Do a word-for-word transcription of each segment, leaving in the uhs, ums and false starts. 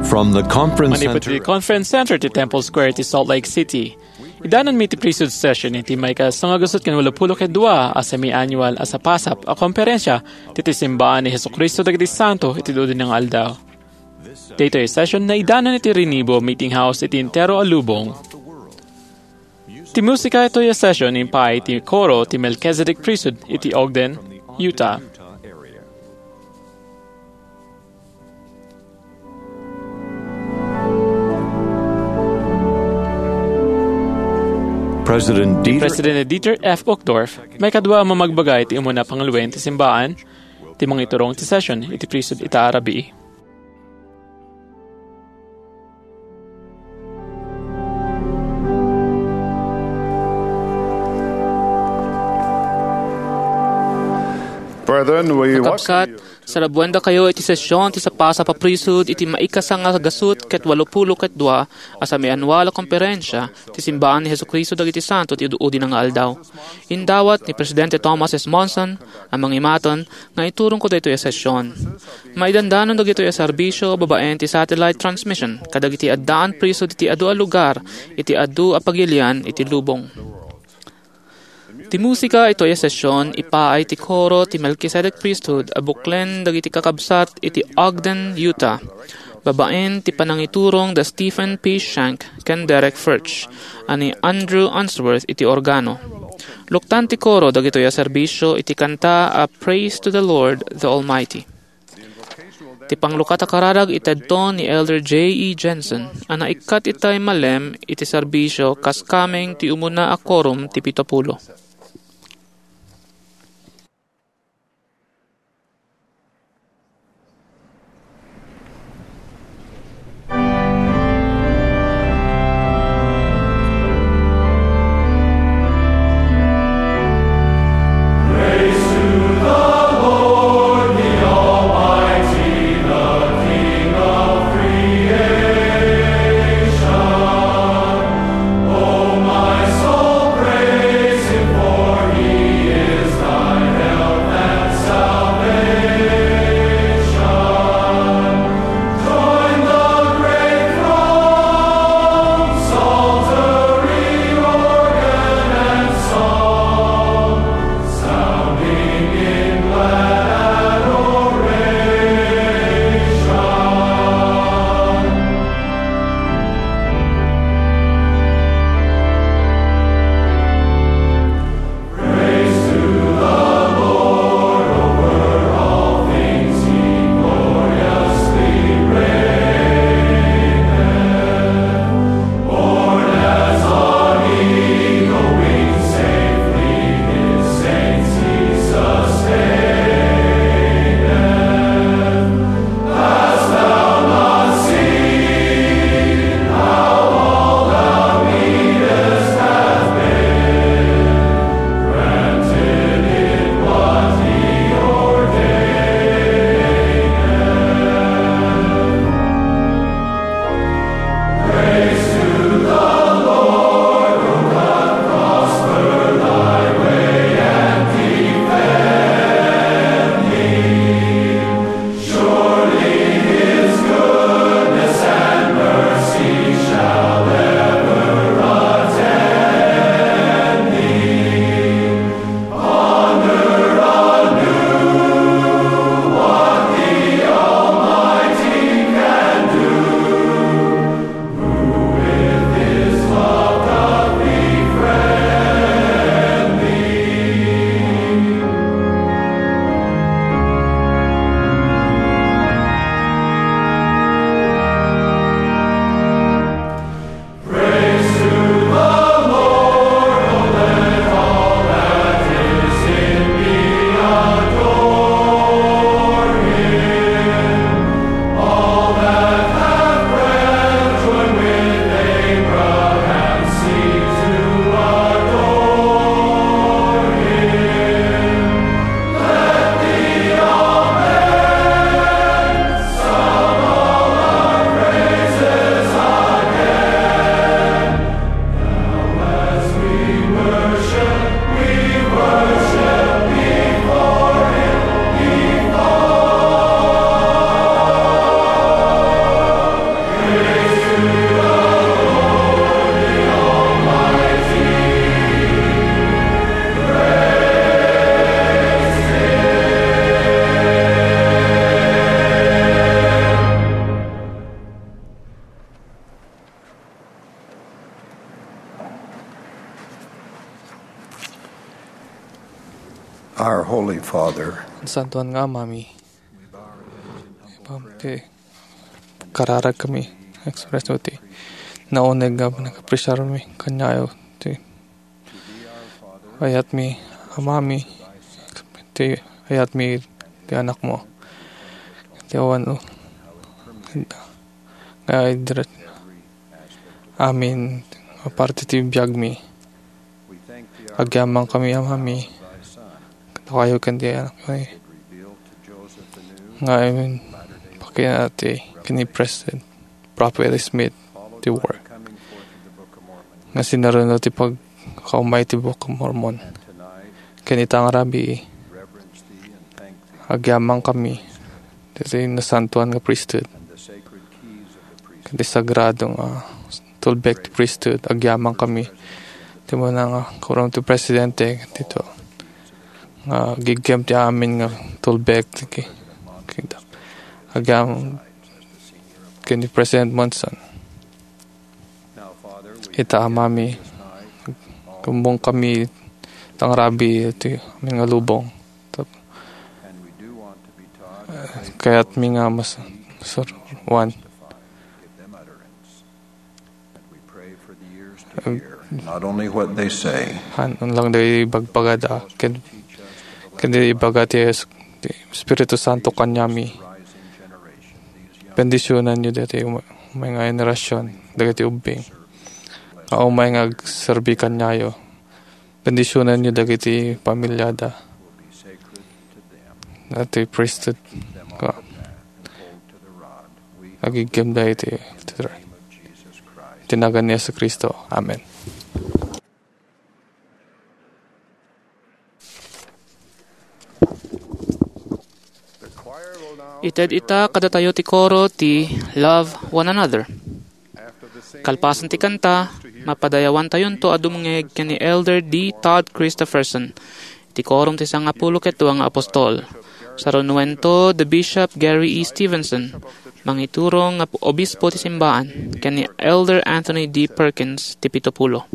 From the conference Manipud center ti Conference Center ti Temple Square ti Salt Lake City. Idananmi ti priesthood session iti maikasangagaset ken walupulo ket dua a semi-annual a sapasap a komperensia ti, ti simbaan ni Jesu-Cristo dagiti Santo iti Dudinang Aldaw. Daytoy a session naidanan iti Renibo Meeting House iti entero a lubong. Ti musika itoy a session impaay ti koro ti Melchizedek Priesthood iti Ogden, Utah. President Dieter President Dieter F. Uchtdorf, maikadua a mamagbaga iti umuna a pangaluben ti simbaan, ti mangiturong ti session iti priesthood ita a rabii. Brethren, we welcome Kakabsat, you. Salabuendakayo iti session ti sapasap a priesthood iti maikasangagaset ket walupulo ket dua a semi-annual a komperensia ti simbaan ni Jesu-Cristo dagiti Santo ti Udi-, Udinang Aldaw. Indawat ni Presidente Thomas S. Monson a mangimaton nga iturongko daytoy a session. Maidandanon dagitoy a serbisio babaen ti satellite transmission kadagiti addaan priesthood iti adu a lugar iti adu a pagilian iti lubong. Ti musika itoy a session ipaay ti koro ti Melchizedek Priesthood a buklen dagiti kakabsat iti Ogden, Utah, babaen ti panangiturong da Stephen P. Shank ken Derek Furch a ni Andrew Unsworth iti organo. Luktan ti koro dagitoy a serbisio iti kanta a Praise to the Lord, the Almighty. Ti panglukat a kararag itedto ni Elder J E Jensen a naikkat itay malem iti serbisio kas kameng ti umuna a korum ti pito pulo. Our Holy Father, Santuan nga Amami, ipam ti kararag kami, express ti nauneg nga nag-appreciate mi kaniayo ti ayat mi, Amami, ti ayat mi ti anak mo. Ti awan, nga idret amin a parte ti biag mi. Agyamankami, Amami, kadakayo ken ti anak mi. Nga amin pakina ti ken ni President Prophet Smith ti work nga sinareno ti pagkaumay ti Book of Mormon. Ken ita nga rabii, agyamankami ti nasantuan nga priesthood ken ti sagrado nga tulbek ti priesthood. Agyamankami ti muna nga Quorum ti Presidente, dito nga giggem ti amin nga tulbek ti ki-, kingdom. Agyam ken ni President Monson. Ita, Amami, kumbong kami tang rabii ti amin nga lubong. Tap-, kayat mi nga mas-, sur-, one. Not only what they say, han, unlang dagiti bagbagada, ken, ken di ibaga ti Es-, ti Espiritu Santo kaniami. Bendisionanyo dagiti um-, umay nga generasion, dagiti ubbing nga umay nga agserbi kaniayo. Bendisionanyo dagiti pamiliada. Dagiti priesthood nga agiggem dagiti, ti nagan ni Jesu-Cristo. Amen. Ited ita kadatayo ti koro ti Love One Another. Kalpasan ti kanta, mapadayawantayonto a dumngeg ken ni Elder D. Todd Christofferson, ti Quorum ti Sangapulo ket Dua nga Apostol. Sarunuento the Bishop Gary E. Stevenson, mangiturong nga obispo ti simbaan, ken ni Elder Anthony D. Perkins, ti Pitopulo.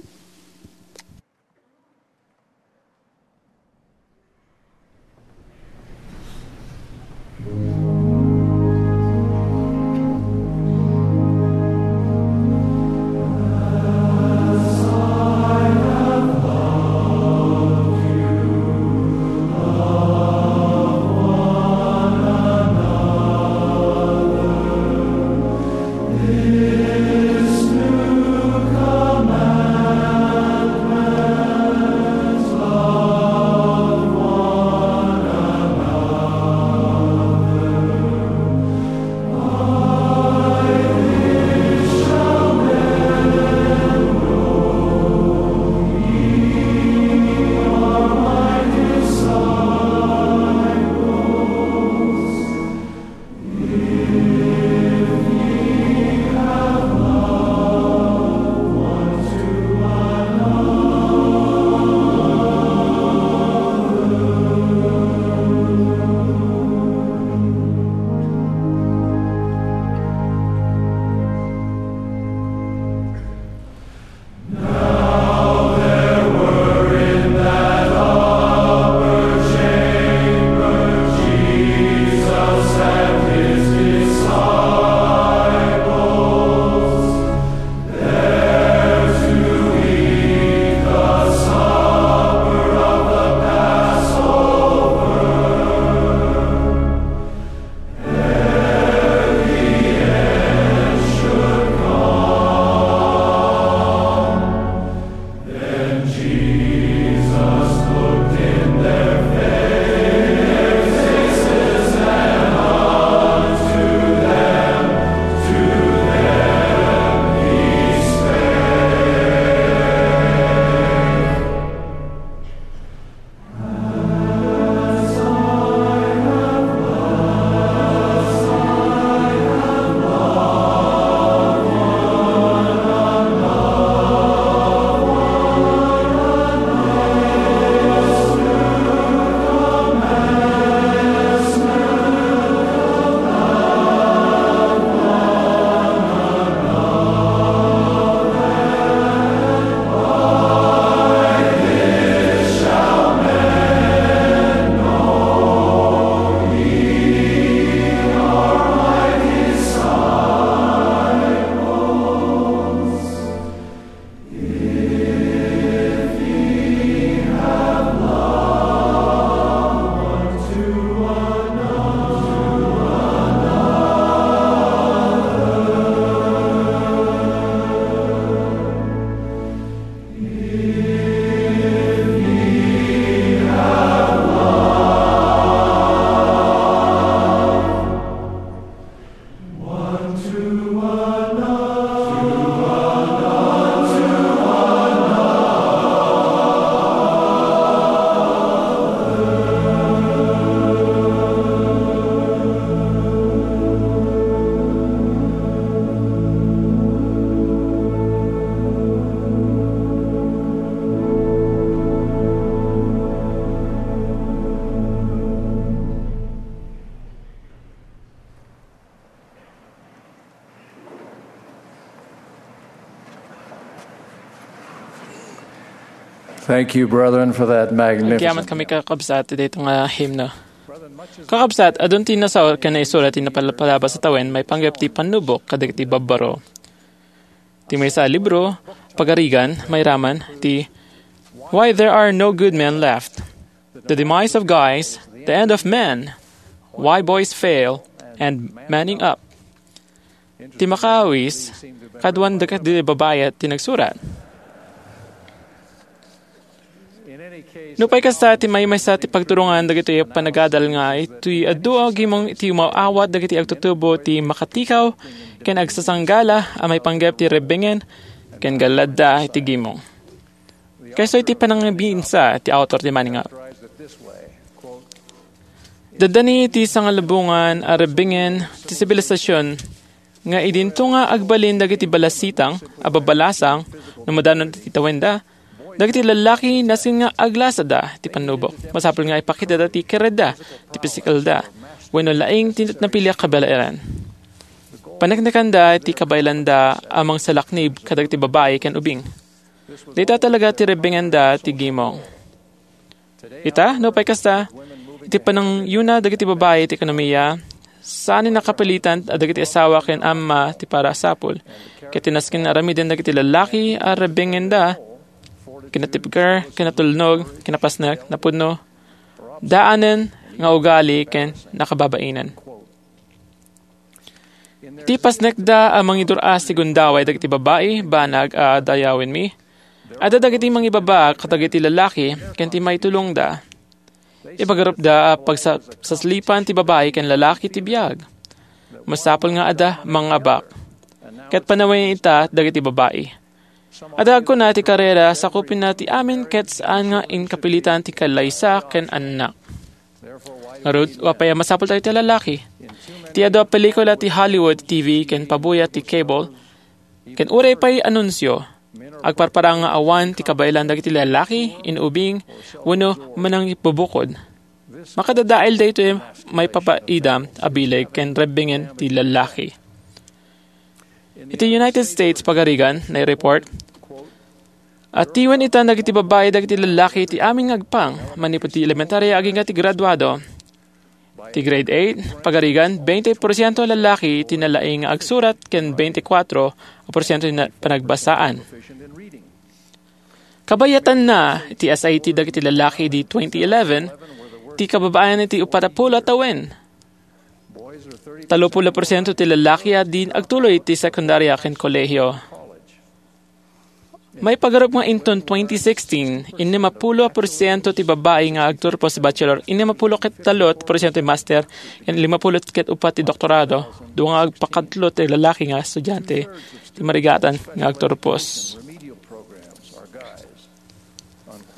Thank you, brethren, for that magnificent. Agyaman kami, kakabsat, iti daytoy nga himno. Kakabsat, adun ti nasao ken naisurat ti napalpalabas a tawen maipanggep ti pannubok kadagiti babbaro. Ti maysa a libro, Pagarigan, mairaman ti Why There Are No Good Men Left, The Demise of Guys, The End of Men, Why Boys Fail, and Manning Up. Ti makaawis, kaduan dagiti babai ti nagsurat. Nupay kasta, ti maymaysa ti pagturongan dagiti panagadal nga iti adu a gimong iti umaw-awat dagiti agtutubo ti makatikaw ken agsasanggala a maipanggep ti rebbengen ken galladda iti gimong. Kayso iti panangibinsa ti autor ti Manning Up. Daddani ti sangalubongan a rebbengen ti sibilisasyon nga idinto nga agbalin dagiti balasitang a babalasang no madanon ti tawenda, dagiti lallaki nasken nga aglasada ti pannubok. Masapul nga ipakitada ti keredda, ti pisikalda, wenno laing ti napili a kabaelan. Paneknekanda ti kabaelanda a mangsalaknib kadagiti babai ken ubing. Dayta talaga ti rebbengenda ti gimong. Ita, nupay kasta, iti panangyuna dagiti babai iti ekonomiya, saan a nakapilitan a dagiti asawa ken amma ti parasapul. Ket ti nasken aramiden dagiti lallaki a rebbengenda, kinatibker, kinatulnog, kinapasnek, napudno, daanen nga ugali ken nakababainan. Ti pasnekda a mangidur-as ti gundaway dagiti babai, banag a dayawenmi. Adda dagiti mangibabaak kadagiti lallaki ken ti maitulongda. Ipagarupda a pagsaslipan ti babai ken lallaki ti biag. Masapul nga adda mangabak. Ket panawen ita dagiti babai. Adda agkuna ti karera, sakupenna ti amin ket saan nga inkapilitan ti kallaysa ken annak. Ngarud, apay a masapultayo ti lallaki? Ti adu a pelikula ti Hollywood, T V, ken pabuya ti cable, ken uray pay anunsio, agparparang nga awan ti kabaelan dagiti lallaki, inubing, wenno manangibubukod. Makadadael daytoy maipapaidam a bileg ken rebbengen ti lallaki. Iti United States, pagarigan, naireport, atiwen ita dagiti babai dagiti lallaki ti amin nga agpang, manipud ti elementaria agingga ti graduado. Ti grade eight, pagarigan, twenty porsiento lallaki ti nalaing nga agsurat ken twenty-four a porsiento ti na-, panagbasaan. Kabayatanna, ti S A T dagiti lallaki di twenty eleven, ti kababayan iti upat a pulo a tawen. Tallo pulo porsiento ti lallaki a di agtuloy ti sekundaria ken kolehio. Maipagarup nga inton twenty sixteen, innem a pulo porsiento ti babai nga agturpos ti bachelor, innem a pulo ket tallo porsiento ti master, ken lima pulo ket upat ti doktorado, dua nga agpakatlo ti lalaki nga estudiante ti marigatan nga agturpos.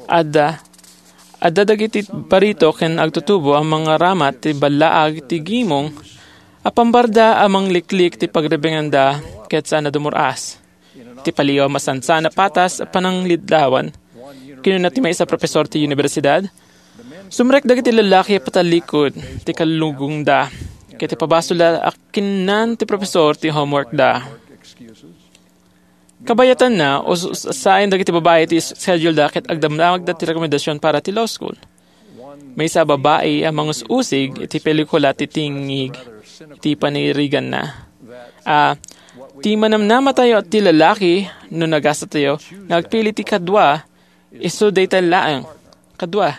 Adda, adda dagiti barito ken agtutubo a mangaramat ti ballaag ti gimong a pambarda a mangliklik ti pagrebenganda ket saan a dumur-as. Ti paliw a masansan a patas a pananglidlawan, kinuna ti maysa a profesor ti universidad, sumrek dagiti lallaki a patalikod ti kalugongda ket ipabasolda a kinnan ti profesor ti homeworkda. Kabayatanna, us-, usaen dagiti babai ti schedule-da ket agdamdamagda ti rekomendasyon para ti law school. Maysa a babai a mangus-usig iti pelikula ti tingig iti paniriganna. A, ti manamnamatayo ti lalaki no nagastatayo nga agpili ti kadua, isu dayta laeng. Kadua,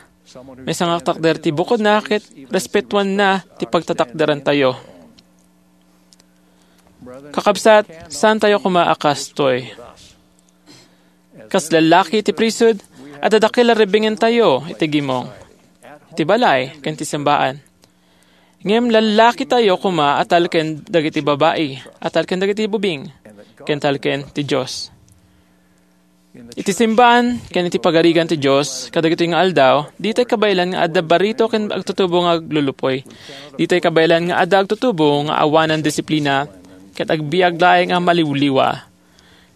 maysa nga takder ti bukodna ket respetuanna ti pagtatakderantayo. Kakabsat, saantayo koma a kastoy. Kas lallaki iti priesthood, adda dakkel a rebengentayo iti gimong, iti balay, ken iti simbaan. Ngem lallakitayo koma a talken dagiti babai, a talken dagiti bubing, ken talken ti Dios. Iti simbaan ken iti pagarigan ti Dios kadagitoy nga aldaw, ditay kabaelan nga adda barito ken agtutubo nga aglulupoy. Ditay kabaelan nga adda agtutubo nga awanan disiplina ket agbiag laeng a maliwliwa.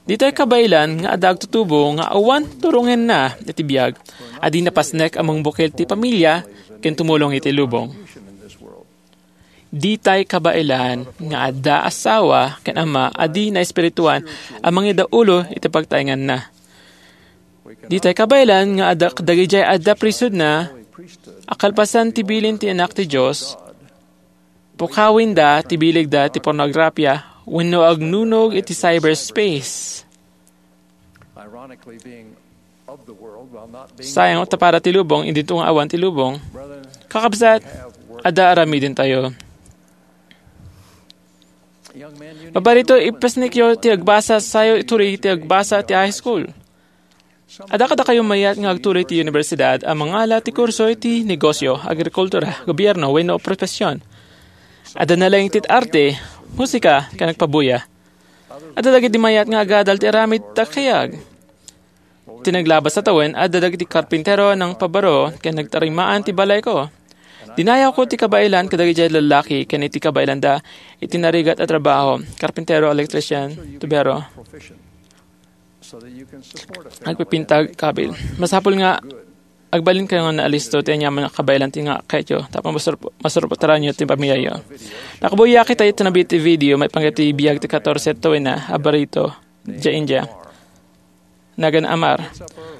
Ditay kabaelan nga adda agtutubo nga awan turongenna iti biag a di napasnek a mangbukil ti pamilia ken tumulong iti lubong. Ditay kabaelan nga adda asawa ken ama a di naespirituan a mangidaulo iti pagtaenganna. Ditay kabaelan nga adda dagijay adda priesthoodna a kalpasan ti bilin ti Anak ti Dios, pukawenda ti bilegda ti pornografia wenno agnunog iti cyberspace. Sayang ta para ti lubong, idinto nga awan ti lubong. Kakabsat, adda aramidentayo. Babarito, ipasnekyo ti agbasa, sayo ituloy ti agbasa ti high school. Adda kadakayo mayat nga agtuloy ti universidad a mangala ti kurso iti negosyo, agrikultura, gobierno, wenno profesion. Adda nalaing ti arte, musika, ken agpabuya. Adda dagiti mayat nga agadal ti aramid ta kayag. Ti naglabas a tawen, adda dagiti karpintero a nangpabaro ken nagtarimaan ti balayko. Dinayawko ti kabaelan kadagiti lallaki ken iti kabaelanda iti narigat a trabaho, karpintero, electrician, tubero, agpipinta, kabil. Masapul nga agbalinkayo nga naalisto ti aniaman nga kabaelan ti nga kayatyo tapno masur-, masurpataranyo ti pamiayo. Nakabuyak ita iti nabiit ti video maipanggep ti biag ti katorse tawenna a barito, dia India. Nagan Amar.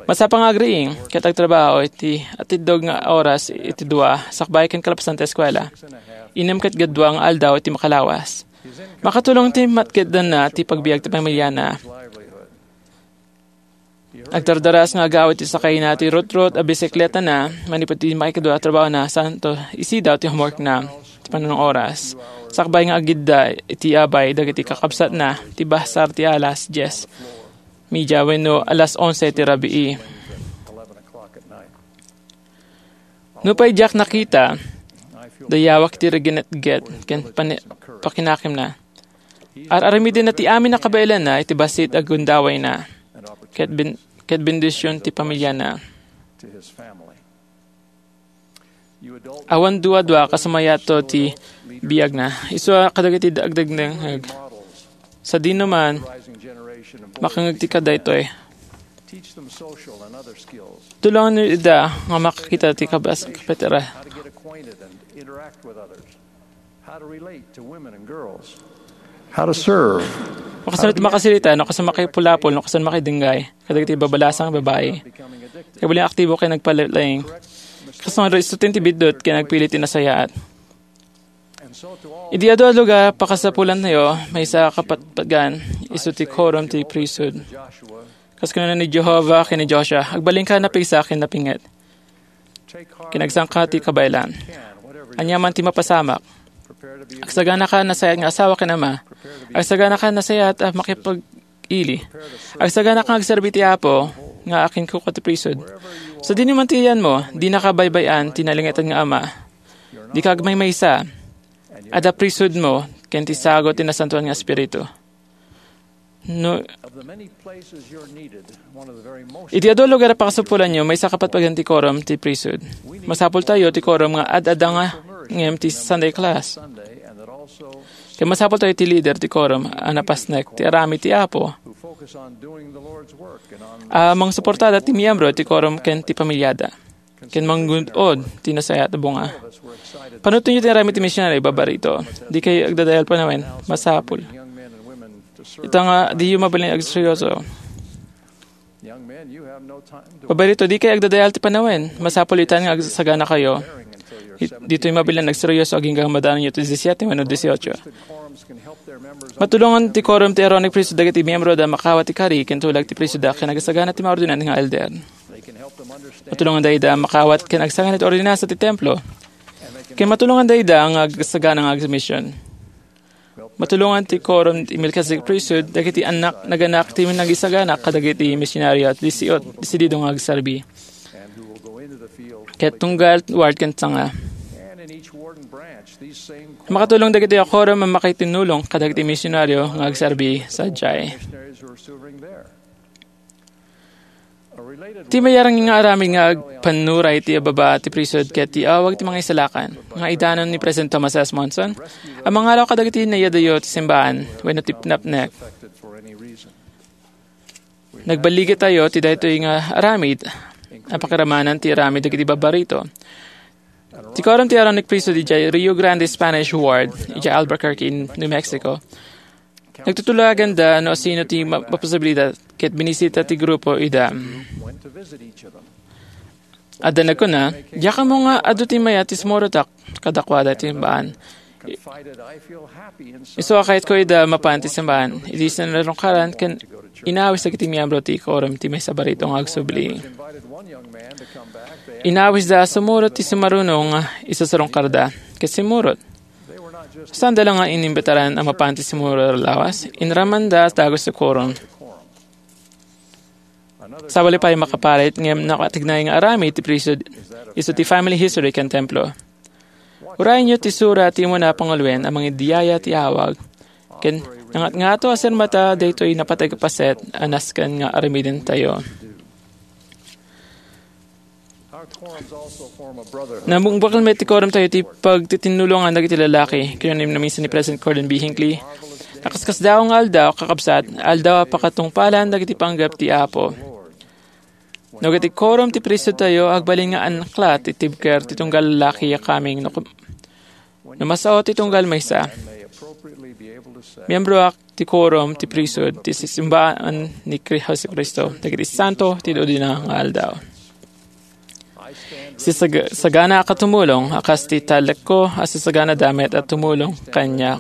Masapul nga agriing ket agtrabaho iti atiddog nga oras iti dua sakbay ken kalpasan ti eskuela. Innem ket gadua nga aldaw iti makalawas. Makatulong ti matkeddanna ti pagbiag ti pamiliana. Agdardaras nga agawid ti sakayna ti rutrut a bisikletana manipud ti maikadua a trabahona, santo isidaw ti homeworkna ti panunong oras. Sakbay nga agidda iti abay dagiti kakabsatna ti basar ti alas dies media wenno alas onse ti rabii. Nupay diak nakita, dayawak ti riginetget ken pani-, pakinakemna. Ar-aramidenna ti amin a kabaelanna iti bassit a gundawayna ket ben-, ket bendision ti pamiliana. Awan dua-dua kas mayat ti biagna. Isu a kadagiti dagdagdengngeg. Sadino man, makangeg ti kadaytoy. Tulonganyo ida nga makakita ti kabas-, kapatira. How to serve. No kasano ti makasirita, no kasano makipulapol, no kasano makidinggay kadagiti babalasang babai. Kabaelan nga aktibo ken nagpalaing. Kasano isu ti biddut ken nagpili ti nasayaat. Idi adu a lugar, pakasapulantayo, maysa a kapatpagan, isu ti korom ti priesthood. Kas kinuna ni Jehovah ken ni Joshua, "Agbalinka, napigsa ken napinget. Ken agsangka ti kabaelan. Aniaman ti mapasamak. Agsaganaka nasayaat nga asawa ken ama. Agsaganaka nasayaat a makipag-ili. Agsaganaka nga agserbi ti Apo nga akinkuko ti priesthood. Sadino man ti iyanmo, dinaka baybay-an ti nalingetan nga Ama. Dika agmaymaysa. Adda priesthoodmo ken ti sagut ti Nasantoan nga Espiritu." No, iti adu a lugar a pakasapulanyo, maysa a kapatpagan ti korom ti priesthood. Masapultayo ti korom nga ad-adda nga ngem ti Sunday class. Ken masapultayo ti leader ti korom a napasnek ti aramid ti Apo a mangsuportada ti miyembro ti korom ken ti pamiliada. Ken manggun-od ti nasayaat a bunga. Panunotenyo ti aramid ti misionaryo, babarito. Dikay agdadael panawen, masapul. Ita nga, diyo mabalin agseryoso. Babarito, dikay agdadael ti panawen, masapul ita nga agsaganakayo. Di-, ditoy mabalin agseryoso agingga madanon iti disisyete wenno disiotso. Matulongan ti korom ti Aaronic Priesthood dagiti miyembro da makawat ti kari ken tulag ti priesthood da ken agsagana ti maordinan nga elder. Matulongan dayta makawat ken agsagana ti ordinansa ti templo. Ken matulongan dayta nga agsagana nga agmision. Matulongan ti korom ti Melchizedek Priesthood dagiti annak naganak ti nagisagana kadagiti misionaryo a disiot-, desidido nga agserbi. Ket tunggal ward ken sanga. Makatulong dagiti korom a makitinnulong kadagiti misionaryo nga agserbi sadiay. Ti mayarang nga aramid nga agpannuray ti ababa ti priesthood ket ti awag ti mangisalakan nga idanon ni President Thomas S. Monson a mangalaw kadagiti nayadayo ti simbaan wenno ti napnek. Nagballigitayo ti daytoy nga aramid a pakiramanan ti aramid dagiti babarito. Ti korom ti Aaronic Priesthood idiay Rio Grande Spanish Ward, idiay Albuquerque, New Mexico, Nagtutulaganda no sino ti ma-, maposibilidad ket binisita ti grupo ida. Adda nagkuna, "Diak ammo nga adu ti mayat ti sumurotak kadakuada ti simbaan. Isu a kayatko ida mapan ti simbaan." Idi sinarungkaran ken inawis dagiti miyembro ti quorum ti maysa a barito nga agsubli. Inawisda a sumurot ti sumaruno nga isusarungkarda ket simmurot. Saanda la nga inimbitaran a mapan ti simmurot a lawas, inramanda dagus ti quorum. Sabali pay makaparit ngem nakatignay nga aramid ti priesthood isu ti family history ken templo. Urayenyo ti sura ti umuna a panguloen a mangidiyaya ti awag ken nangatngato a sirmata daytoy napateg a paset a nasken nga aramidentayo. Namungbakel met ti quorum tayo ti pagtitinnulongan dagiti lalaki. Kinunam ni President Gordon B. Hinckley, "Nakaskasdaaw nga aldaw, kakabsat, aldaw a pakatungpalan dagiti panggep ti Apo. No ket ti quorum ti priesthood tayo, agbalin nga anakla ti tibker ti tunggal lalaki a kaming no, no masao ti tunggal maysa. Miyembroak ti quorum ti priesthood ti simbaan ni Kri-, Jesu-Cristo dagiti santo ti dudina nga aldaw." Sisag-, sagana a katumulong a kas ti talekko a sisagana damet a tumulong kaniak.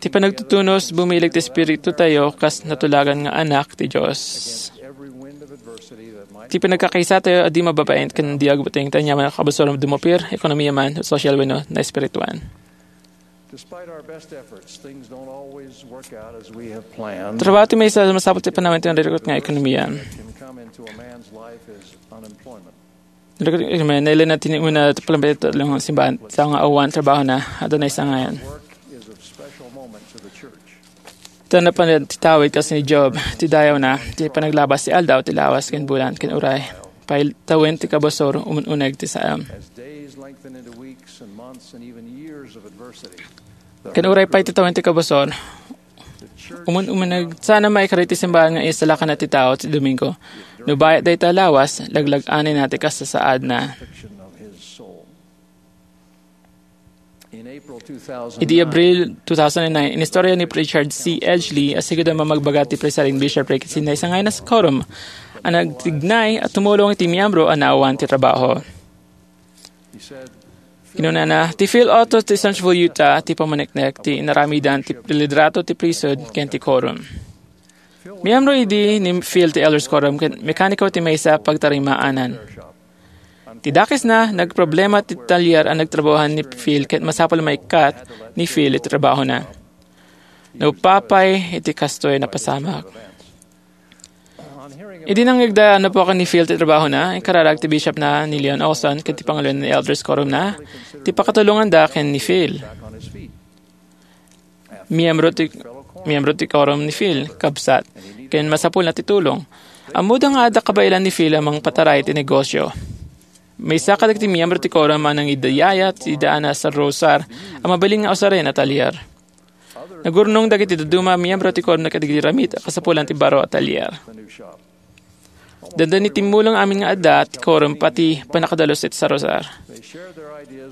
Ti panagtutunos, bumileg ti espiritu tayo kas natulagan nga anak ti Dios. Ti panagkakaisa tayo a di mababain ken di agbuteng ti aniaman a kabusor, dumupir, ekonomia man, sosyal wenno naespirituan. Despite our best efforts, things don't always work out as we have planned. Trabaho ti maysa a masapul ti panawen ti narikot nga ekonomia. Can come into a man's life is unemployment. Narikot nga ekonomia, nailena ti ni una ti palampet ti simbahan, sa nga awan trabaho na, adda na isangayan. Work is of special moment to the church. Ta napan ti tawid kas ni Job, ti dayawna, ti panaglabas ti aldaw, ti lawas, ken bulan, ken uray. Pay tawen ti kabusor, umun-uneg ti saam. As days lengthen into weeks and months and even years of adversity, ken uray pay ti tawen ti kabusor, umun-uneg, saan a maikari ti simbahan nga isalakana ti tao ti Domingo. No bayat dayta a lawas, laglag-anayna ti kasasaadna. Idi Abril two thousand nine, inistorya ni Richard C. Edgley a sigud a mamagbaga ti presiding bishopric iti naisangay a quorum a nagtignay a tumulong iti miyembro a naawan ti trabaho. Kinunana, "Ti Phil Otto ti Centerville, Utah, ti pamaneknek ti inaramidan ti lidrato ti priesthood ken ti quorum." Miyembro idi ni Phil ti Elders Quorum ken mekaniko ti maysa a pagtarimaanan. Ti dakesna, nagproblema ti talyer a nagtrabahoan ni Phil ket masapul a maikkat ni Phil iti trabahona. Naupapay iti kastoy a napasamak. Idi nangngegda a napukaw ni Phil ti trabahona, inkararag ti bishopna ni Leon Olson ken ti panguloen ti Elders Quorumna ti pakatulonganda ken ni Phil. Miyembro ti, miyembro ti quorum ni Phil, kabsat, ken masapulna ti tulong. Ammoda nga adda kabaelan ni Phil a mangpataray ti negosyo. Maysa kadagiti miyembro ti quorum a nangidayaya ti daan a sarrosar a mabalin nga usaren a talyer. Nagurnong dagiti dadduma a miyembro ti quorum kadagiti ramid a kasapulan ti baro a talyer. Dandani timmulong amin nga adda ti quorum pati pannakadalus iti sarrosar.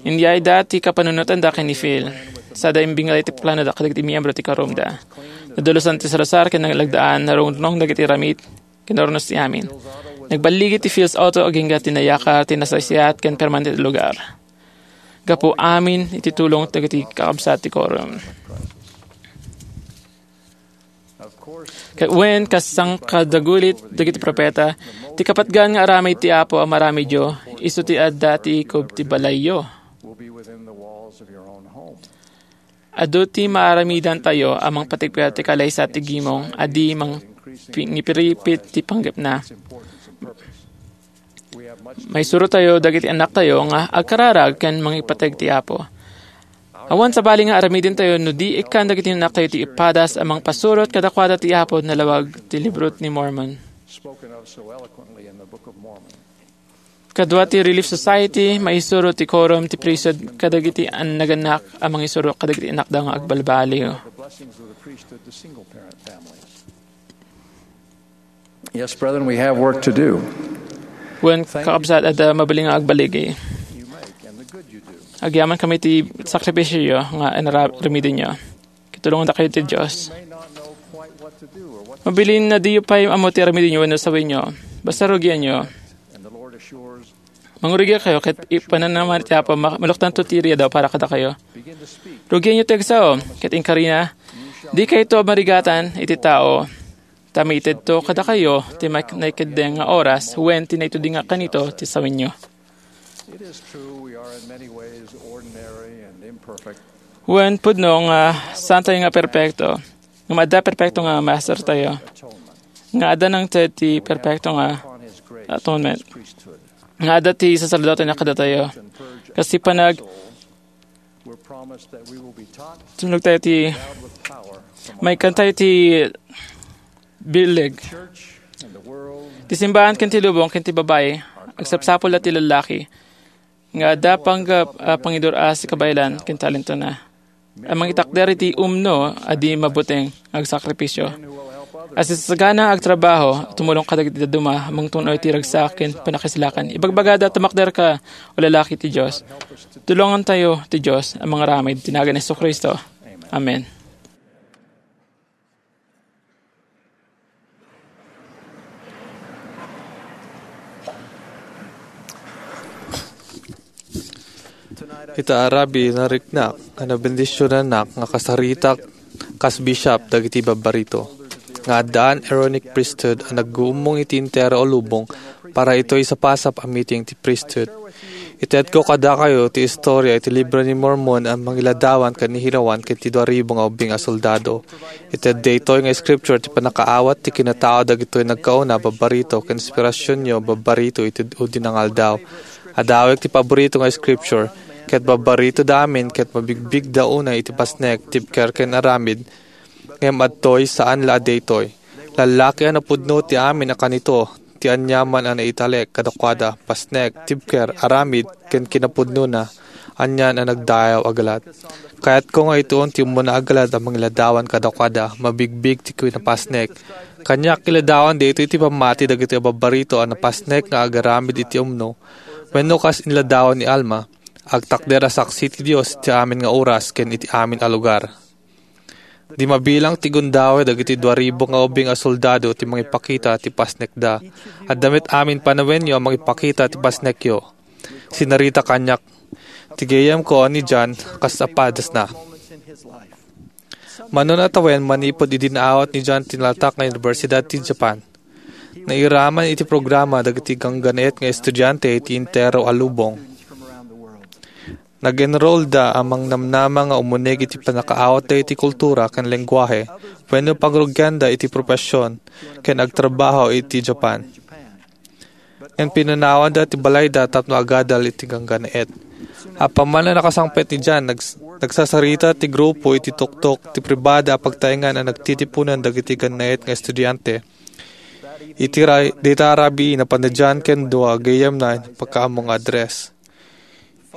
Inyayda ti kapanunotanda ken ni Phil. Sada imbingala ti planoda kadagiti miyembro ti quorumda. Nadalusan ti sarrosar ken nalagdaan, narungrunong dagiti ramid, kinurnos ti amin. Nagballigi ti Phil's Auto agingga ti nayakar, ti nasaysayaat ken permanente a lugar. Gapu amin iti tulong dagiti kakabsat ti quorum. Ket wen, kas sangkadagulit dagiti profeta, ti kapatgan nga aramid ti Apo a maramidyo, isu ti adda ti ikub ti balayyo. Adu ti maaramidantayo a mangpatikpet ti kalaysa ti gimong a di mangipiripit ti panggepna. Maisurotayo dagiti annaktayo nga agkararag ken mangipateg ti Apo. Awan sabali nga aramidentayo no di ikkan dagiti annaktayo ti ipadas a mangpasurot kadakuada ti Apo nalawag ti Libro ni Mormon. Kadua ti Relief Society, maisuro ti quorum ti priesthood kadagiti annagannak a mangisuro kadagiti annakda nga agbalbaliw. Yes, brethren, we have work to do. Wen, kakabsat, adda mabalin nga agbaligi. Agyaman kami ti sakripisyo nga inara-, aramidenyo. Tulongandakayo ti Dios. Mabalin a diyo pay ammo ti aramidenyo wenno sawenyo. Basta rugianyo. Mangrugiakayo ket ipananam ti Apo, ma-, maluktanto ti riidaw para kadakayo. Rugianyo ti agsao, ket inkarina, dikayto marigatan iti tao. Ta maitedto kadakayo ti ma-, naikeddeng nga oras wen ti naituding nga kanito ti sawenyo. It is true we are in many ways ordinary and imperfect. Wen, pudno nga saantayo nga perpekto, nga adda perpekto nga mastertayo, nga adda nangted ti perpekto nga atonement, nga adda ti saserdote nga kadatayo. Kas ti panag-, We're promised that we will be taught, tumulog tayo ti, endowed with power from on maikan tayo ti bileg. Church and the world. Ti simbahan ken ti lubong ken ti babai, agsapsapul a ti lallaki, nga adda panggep a pangidur-as ti kabaelan ken talentona, a mangitakder iti umno a di mabuteng nga agsakripisio. A sasagana nga agtrabaho, tumulong kadagiti dadduma, mangtun-oy ti ragsak ken pannakaislakan. Ibagbagada, tumakderka, o lalaki ti Dios. Tulongantayo ti Dios a mangaramid ti nagan ni Jesu-Cristo. Amen. Ita a rabii, nariknak nga nabendisionanak nga kasaritak kas bishop dagiti babbarito nga addaan Aaronic priesthood a nagguummong iti entero a lubong para itoy sapasap a meeting ti priesthood. Itedko kadakayo ti istorya iti Libro ni Mormon a mangiladawan ken ni Hirawan ken ti dua ribu nga ubbing a soldado. Ited daytoy nga scripture ti pannakaawat ti kinatao dagitoy nagkauna a babbarito ken inspirasionyo a babbarito iti udi nga aldaw. Adawek ti paborito nga scripture, ket babbaritoda amin ket mabigbigda unay iti pasnek, tibker ken aramid, ngem adtoy saan la a daytoy. Lallaki a napudno ti amin a kanito, ti aniaman a naitalek kadakuada, pasnek, tibker, aramid, ken kinapudnona, anian a nagdayaw a galad. Kayatko nga ituon ti ummuna a galad a mangiladawan kadakuada, mabigbig ti kinapasnek. Kaniak iladawan daytoy ti pammati dagiti a babbarito a napasnek nga agaramid iti umno, wenno kas inladawan ni Alma, agtakder a saksi ti Dios iti amin nga oras ken iti amin a lugar. Di mabilang ti gundaway dagiti dua ribu nga ubbing a soldado ti mangipakita ti pasnekda. Adda met amin panawenyo a mangipakita ti pasnekyo. Sinarita kaniak ti gayyemko a ni John kas a padasna. Mano a tawen manipud idi naawat ni John ti nalatak nga Universidad ti Japan. Nairaman iti programa dagiti ganggannaet nga estudiante iti entero a lubong. Nag-enrollda a mangnamnama nga umunig iti pannakaawatda iti kultura ken lengguahe wenno pagrugianda iti profesion ken agtrabaho iti Japan. Ngem pinanawanda ti balayda tapno agadal iti ganggannaet. Apaman a nakasangpet ni John, nags-, nagsasarita ti grupo iti tuktok ti pribada a pagtaengan a nagtitiponan dagiti gannaet nga estudiante. Iti ra-, dita a rabii, napan ni John ken dua a gayyemna nga pakaammo nga address.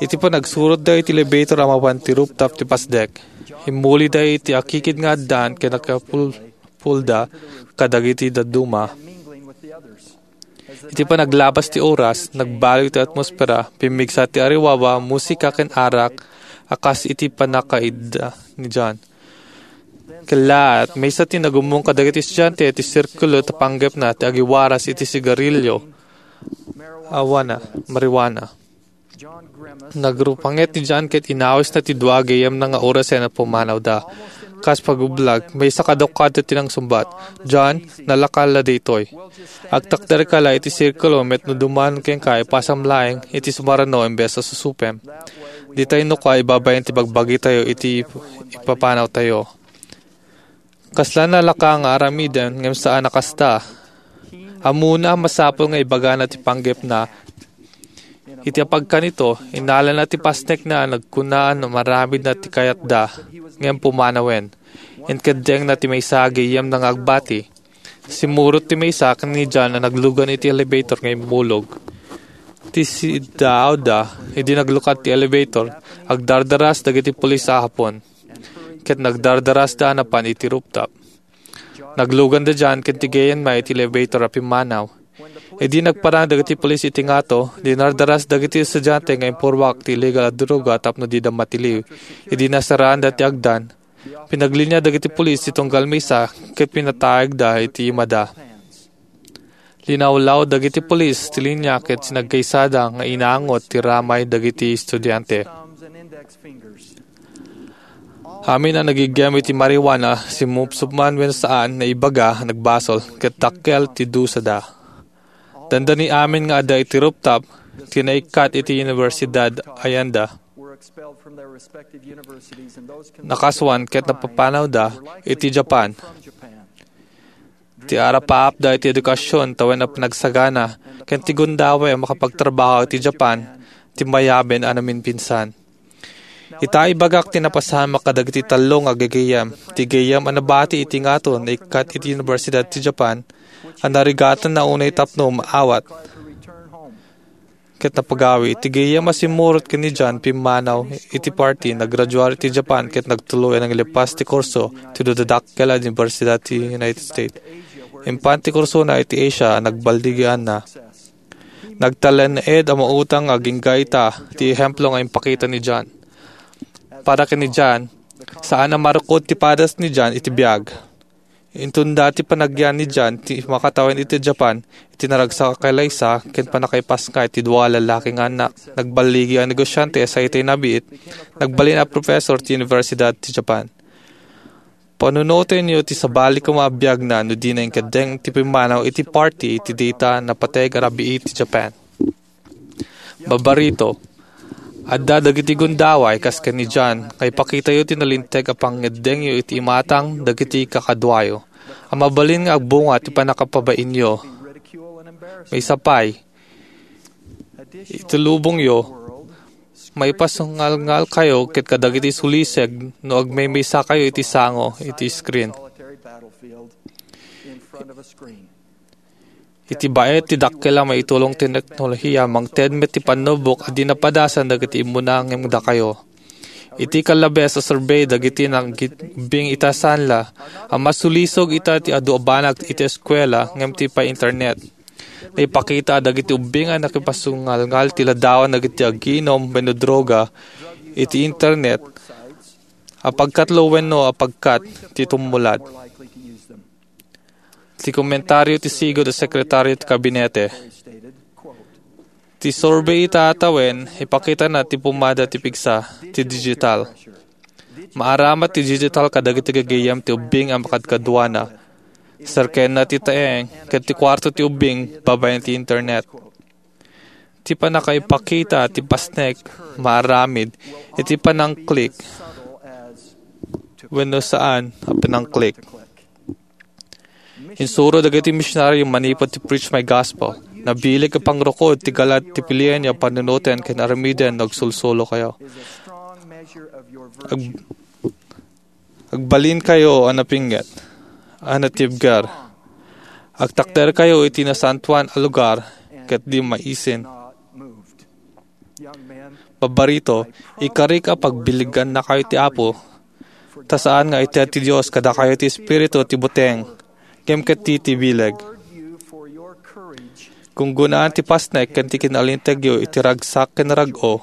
Iti panagsurotda iti elevator a mapan ti rooftop ti pasdek, immulida iti akikid nga addaan ken nakipulpulda kadagiti dadduma. Iti panaglabas ti oras, nagbaliw ti atmosfera, pimmigsa ti ariwaba, musika ken arak a kas iti pannakaidda ni John. Kellaat, maysa ti nagummong kadagiti estudiante ti sirkulo ta panggepna ti agiwaras iti sigarilio, awana, marijuana. Nagrupanget ni John ket inawisna ti dua a gayyemna nga orasen a pumanawda. Kas pagublag, maysa kadakuada ti nangsungbat, "John, nalaka la daytoy. Agtakderka la iti sirkulo met no duman kenka, ipasam laeng iti sumarano imbes a susupem. Dita innoka ibabain ti bagbagitayo iti ipapanawtayo." Kasla nalaka nga aramiden, ngem saan a kasta. Ammona a masapul nga ibagana ti panggepna. Iti apagkanito, innalana ti pasnekna a nagkunaan a maramidna ti kayatda, ngem pumanawen. Inkeddengna ti maysa a gayyemna nga agbati. Simmurot ti maysa ken ni John a naglugan iti elevator nga immulog. Ti siddaawda, idi naglukad ti elevator, agdardaras dagiti pulis a Hapon. Ket nagdardarasda a napan iti rooftop. Nagluganda dian ken ti gayyemna iti elevator a pimmanaw. Idi nagparang dagiti pulis iti ngato, dinardaras dagiti estudiante nga impurmak ti illegal a droga tapno dida matiliw. Idi nasaraanda ti agdan, Pinaglinia dagiti pulis ti tunggal maysa ket pinatayagda iti imada. Linawlaw dagiti pulis ti linia ket sinagkaysada nga inangot ti ramay dagiti estudiante. Amin a nagiggem iti marijuana, simupsupman wenno saan, naibaga, nagbasol, ket dakkel ti dusada. Dandani amin nga adda iti rooftop ti naikkat iti Universidad Ayanda. Nakasuan ket napapanawda iti Japan. Ti arapaapda iti edukasyon tawen a panagsagana ken ti gundaway a makapagtrabaho iti Japan ti mayaben a naminpinsan. Ita, ibagak ti napasamak kadagiti tallo nga gagayyem. Ti gayyem a nabati iti ngato naikkat iti Universidad ti Japan a narigatanna unay tapno maawat ket napagawi. Ti gayyem a simmurot ken ni John pimmanaw iti party, naggraduar iti Japan ket nagtuloy a nangilepas ti kurso ti dudadakkel a universidad ti United States. Impan ti kursona iti Asia a nagballigianna. Nagtalinaed a mautang nga agingga ita ti ehemplo nga impakita ni John. Para ken ni John, saan a marukod ti padas ni John iti biag. Inton dati panagyan ni John ti makatawen iti Japan, iti naragsak a kalaysa ken pannakaipasngay ti dua a lallaki nga annak, nagballigi a negosyante a saitay nabiit, nagbalin a professor ti Universidad ti Japan. Panunotenyo ti sabali koma a biagna no dina inkeddeng ti pimmanaw iti party iti dayta a napateg a rabii ti Japan. Babarito, adda dagiti gundaway kas ken ni John nga ipakitayo ti nalinteg a pangngeddengyo iti imatang dagiti kakaduayo a mabalin nga agbunga ti pannakapabainyo. Maysa pay, iti lubongyo, maipasungalngalkayo ket kadagiti suliseg no agmaymaysakayo iti sango iti screen. Iti baet ti dakkel a maitulong ti teknolohiya, mangted met ti pannubok a di napadasan dagiti immuna ngem dakayo. Iti kallabes a survey dagiti nagbigbing ita sanla a masulisog ita ti adu a banag iti eskuela ngem ti pay internet. Naipakita a dagiti ubbing a nakipasungalngal ti ladawan dagiti aginom wenno droga iti internet a pagkatlo wenno a pagkat ti tumulad. Ti komentario ti sigud a sekretaryo ti kabinete. Ti survey ita a tawen, ipakitana ti pumada ti pigsa ti digital. Maaramat ti digital kadagiti gagayyem ti ubbing a makadkaduana. Serkenna ti taeng ket ti kuarto ti ubbing babaen ti internet. Ti pannakaipakita ti pasnek maaramid iti panangklik wenno saan a panangklik. Insuro dagiti misionario manipud ti Preach My Gospel. Nabileg a pangrukod ti galad ti pilienyo a panunoten ken aramiden no agsulsulokayo. Ag-, agbalinkayo a napinget, a natibger. Agtakderkayo iti nasantoan a lugar ket di maisin. Babarito, ikarik a pagbilegannakayo ti Apo, ta saan nga ited ti Dios kadakayo ti espiritu ti buteng, ngem ket ti, ti bileg. Gunggonaan ti pasnek ken ti kinalintegyo iti ragsak ken rag-o.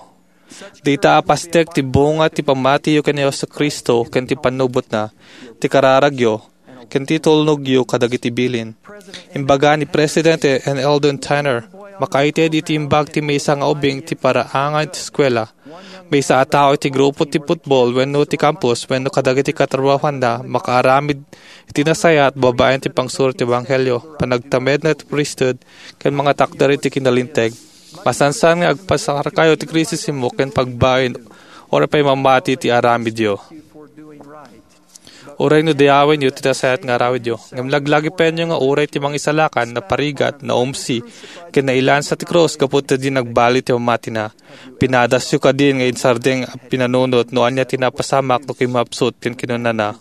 Dayta a pasnek ti bunga ti pammatiyo ken ni Jesu-Cristo ken ti pannubotna, ti kararagyo, ken ti tulnogyo kadagiti bilin. Imbaga ni Presidente N. Eldon Tanner, makaited iti imbag ti maysa nga ubing ti paraangan ti eskuela. Maysa a tao iti grupo ti football wenno ti campus wenno kadagiti katrabahoanna makaaramid iti nasayaat babaen ti pangsuro ti ebanghelio, panagtamedna ti priesthood, ken mangatakder iti kinalinteg. Masansan nga agpasarkayo ti kritisismo ken pagbain uray pay mamati ti aramidyo. Uray no dayawenyo ti nasayaat nga aramidyo, ngem laglagipenyo nga uray ti Mangisalakan naparigat, naumsi, ken nailansa ti krus gapu ta di nagbali ti pammatina. Pinadasyo kadin nga insardeng a pinanunot no ania ti napasamak no kimmapsut ken kinunana,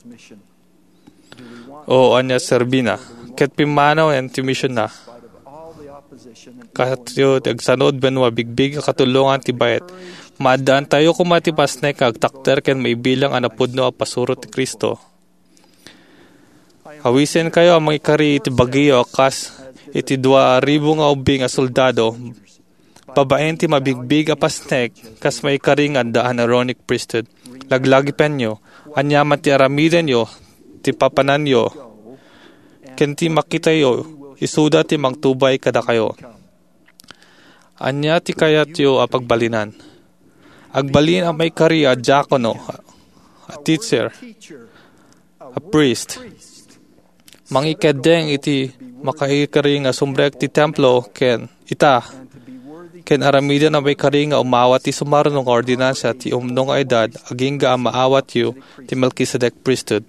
"O, ania serbina?" Ket pimmanawen ti misionna. Kayo ti agsanud wenno abigbig a katulongan ti baet. Maaddaantayo koma ti pasnek nga agtakder ken maibilang a napudno a pasuro ti Cristo. Awisenkayo a mangikari iti bagiyo a kas iti dua a ribu nga ubbing a soldado babaen ti mabigbig a pasnek kas maikari nga addaan Aaronic priesthood. Laglagipenyo, aniaman ti aramidenyo, ti papananyo, ken ti makitayo, isuda ti mangtubay kadakayo. Ania ti kayatyo a pagbalinan? Agbalin a maikari a diakono, a teacher, a priest. Mangikeddeng iti makaikari nga sumrek ti templo ken ita, ken aramiden a maikari nga umawat ti sumaruno nga ordinansa ti umno nga edad agingga a maawatyo ti Melkisedek priesthood.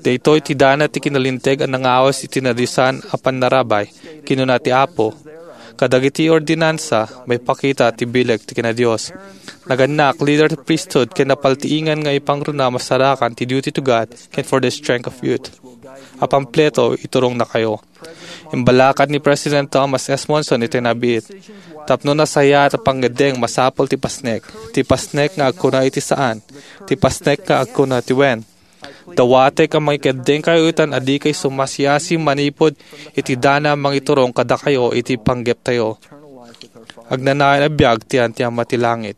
Daytoy ti dana ti kinalinteg a nangawes iti nadiosan a pannarabay. Kinuna ti Apo, "Kadagiti ordinansa, maipakita ti bileg ti kinadios." Nagannak, leader ti priesthood, ken napaltiingan nga ipangruna masarakan ti duty to God ken for the strength of youth. A pampleto, iturongnakayo. Imbalakad ni President Thomas S. Monson iti nabiit. Tapno nasayaat a pangngeddeng, masapul ti pasnek. Ti pasnek nga agkuna iti saan. Ti pasnek nga agkuna ti wen. Dawatek a mangikeddengkayo itan a dikay sumasiasi manipud iti dana mangiturong kadakayo iti panggeptayo. Agnanayon a biag ti Ama ti langit.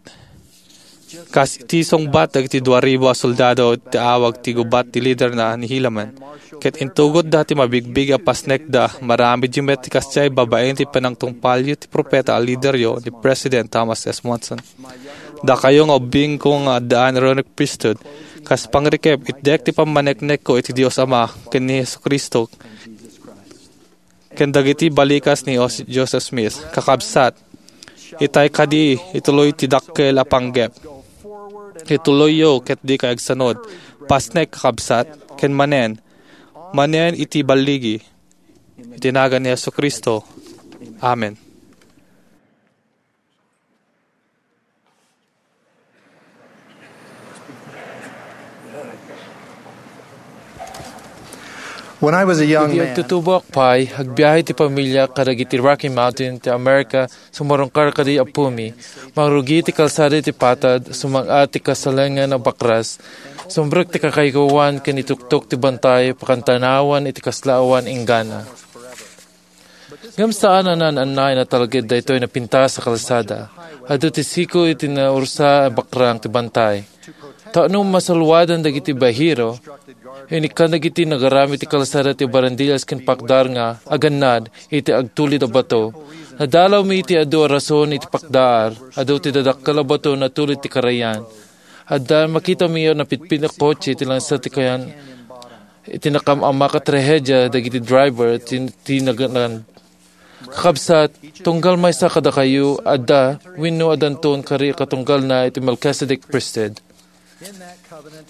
Kas iti sungbat dagiti dua ribu a soldado ti awag ti gubat ti liderna ni Helaman, ket intugotda ti mabigbig a pasnekda, maramidenyo met ti kasdiay babaen ti panangtungpalyo ti propeta a lideryo ni President Thomas S. Monson. Dakayo nga ubbingko nga addaan a reverend priesthood, kas pangrikep, itdek ti pammaneknekko iti Dios Ama ken ni Jesu-Cristo, ken dagiti balikas ni Os-, Joseph Smith. Kakabsat, itay kadi, ituloy ti dakkel a panggep. Ituloyyo ket dikay agsanud. Pasnek, kakabsat, ken manen, manen iti balligi. Iti nagan ni Jesu-Cristo. Amen. When I was a young Idi man, agtutuboak pay, agbiahe ti pamiliak kadagiti Rocky Mountain ti Amerika, sumarungkar kadi appomi. Mangrugi ti kalsada iti patad, sumang-at ti kasalengan a bakras. Sumrek ti kakaykuan ken ituktok ti bantay, pakantanawan iti kasla awan inggana. Ngem saan a naan-annayan a talged daytoy napintas a kalsada. Adu ti siko iti naursa a bakrang ti bantay. Tapno masalwadan dagiti bahero, inikkan dagiti nagaramid ti kalsada ti barandillas ken pakdar nga agannad iti agtulid a bato. Nadalawmi iti adu a rason iti pakdar, adu ti dadakkel a bato natulid ti karayan. Adda makitami a napitpit a kotse iti langsa ti kayan iti nakam-amak a trahedia dagiti driver ti, ti naganan. Kakabsat, tunggal maysa kadakayo, adda, wenno addanton kari a katunggalna iti Melchizedek priesthood.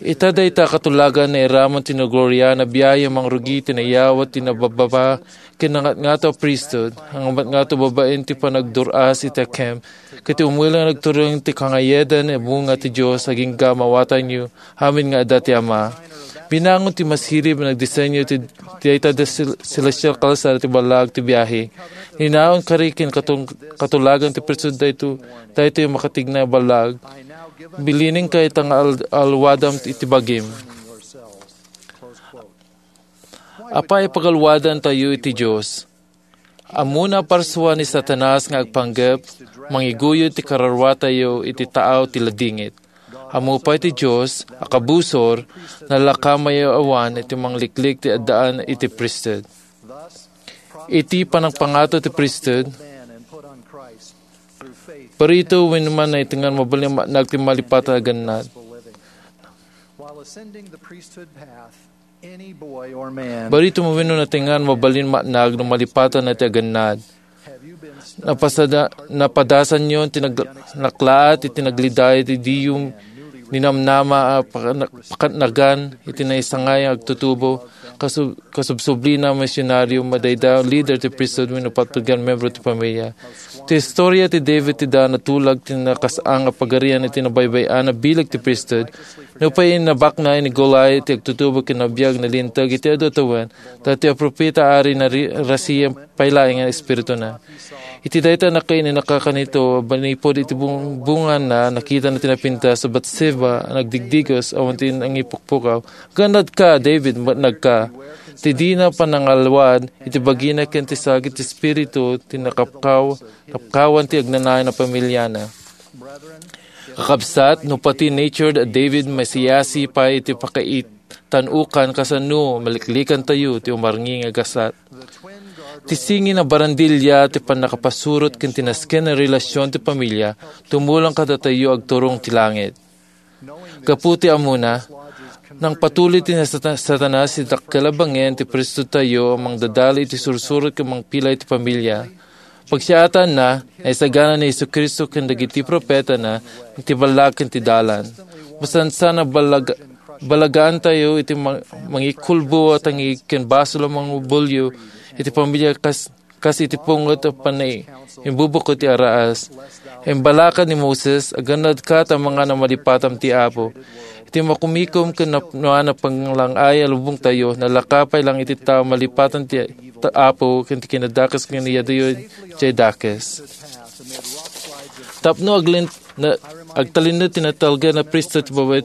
Ita dayta a katulagan nairamon ti nagloriaan a biahe a mangrugi ti nayawat ti nabababa ken nangatngato a priesthood, nangatngato babaen ti panagdur-as iti hakem, ket ti umuli nga nagturong ti kangayedan a bunga ti Dios agingga maawatanyo amin nga adda ti Ama. Binangon ti masirib a nagdisenyo ti, dayta a sil-, celestial kalsada ti ballag ti biahe. Ninaon kari ken katung-, katulagan ti priesthood dayto, daytoy a makatigna a ballag. Bilinenka ita nga al-, alwadam iti bagim. Apay a pagalwadantayo iti Dios? Ammona a parsua ni Satanas nga agpanggep, mangiguyod ti kararuatayo iti taaw ti ladingit. Ammo pay ti Dios a kabusor, nalakamayo awan iti mangliklik ti addaan iti priesthood. Iti panangpangato ti priesthood, barito wenno man naitengan mabalin a maatnag ti malipatan a gannad. Barito wenno natengan mabalin maatnag no malipatan ti agannad. Napasada-, napadasanyo ti nag-, naklaat iti nagliday ti diyum ninamnama a pakana-, pakanagan iti naisangay nga agtutubo, kasub-, kasubsublina a misionaryo, madaydayaw a lider ti priesthood wenno patpatgan membro ti pamilia. Ti historia ti David ti da natulag ti nakasaan a pagarian iti nabaybay-an a bileg ti priesthood. Nupay innabakna ni Goliat ti agtutubo ken nabiag nalinteg iti adu a tawen, daytoy a propeta, ari, nari-, narasia pay laeng nga espirituna. Iti dayta a nakainanaka kanito, manipud iti bung-, bunganna, nakitana ti napintas a Batseba a nagdigdigos awan ti nangipukpukaw. Agannadka, David, maatnagka. Ti dina panangalwad iti bagina ken ti sagid ti Espiritu ti nakapkaw-, nakapkawan ti agnanayon a pamiliana. Kakabsat, no pati natured a David, masiasi pay iti pakaitan-ukan kasano maliklikantayo ti umarngi nga gasat. Ti singi nga barandilla ti pannakapasurot ken ti nasken a relasyon ti pamilia, tumulong kadatayo agturong ti langit. Gapu ti ammona, nangpatuli ti Sata-, Satanas iti dakkel a bangin ti priesthoodtayo a mangdadal iti sursurot ken mangpila iti pamilia. Pagsiatanna, naisagana ni Jesu-Cristo ken dagiti propetana iti balak ken ti dalan. Masansan a balag-, balagaantayo iti ma-, mangikulbo a tangig ken basol a mangubulyo iti pamilia kas, kas iti pungot a panai-, imbubukod ti araas. Imbalakad ni Moses, "Aganadka ta mangan a malipatam ti Apo." Iti makumikom ken napnoan a panglang-ay a lubongtayo, nalaka pay lang iti tao malipatam ti ta-, Apo ken ti kinadakes ken iyadayo jay dakes. Tapno aglin-, na, agtalinaed ti natalgan a priesthood ti babai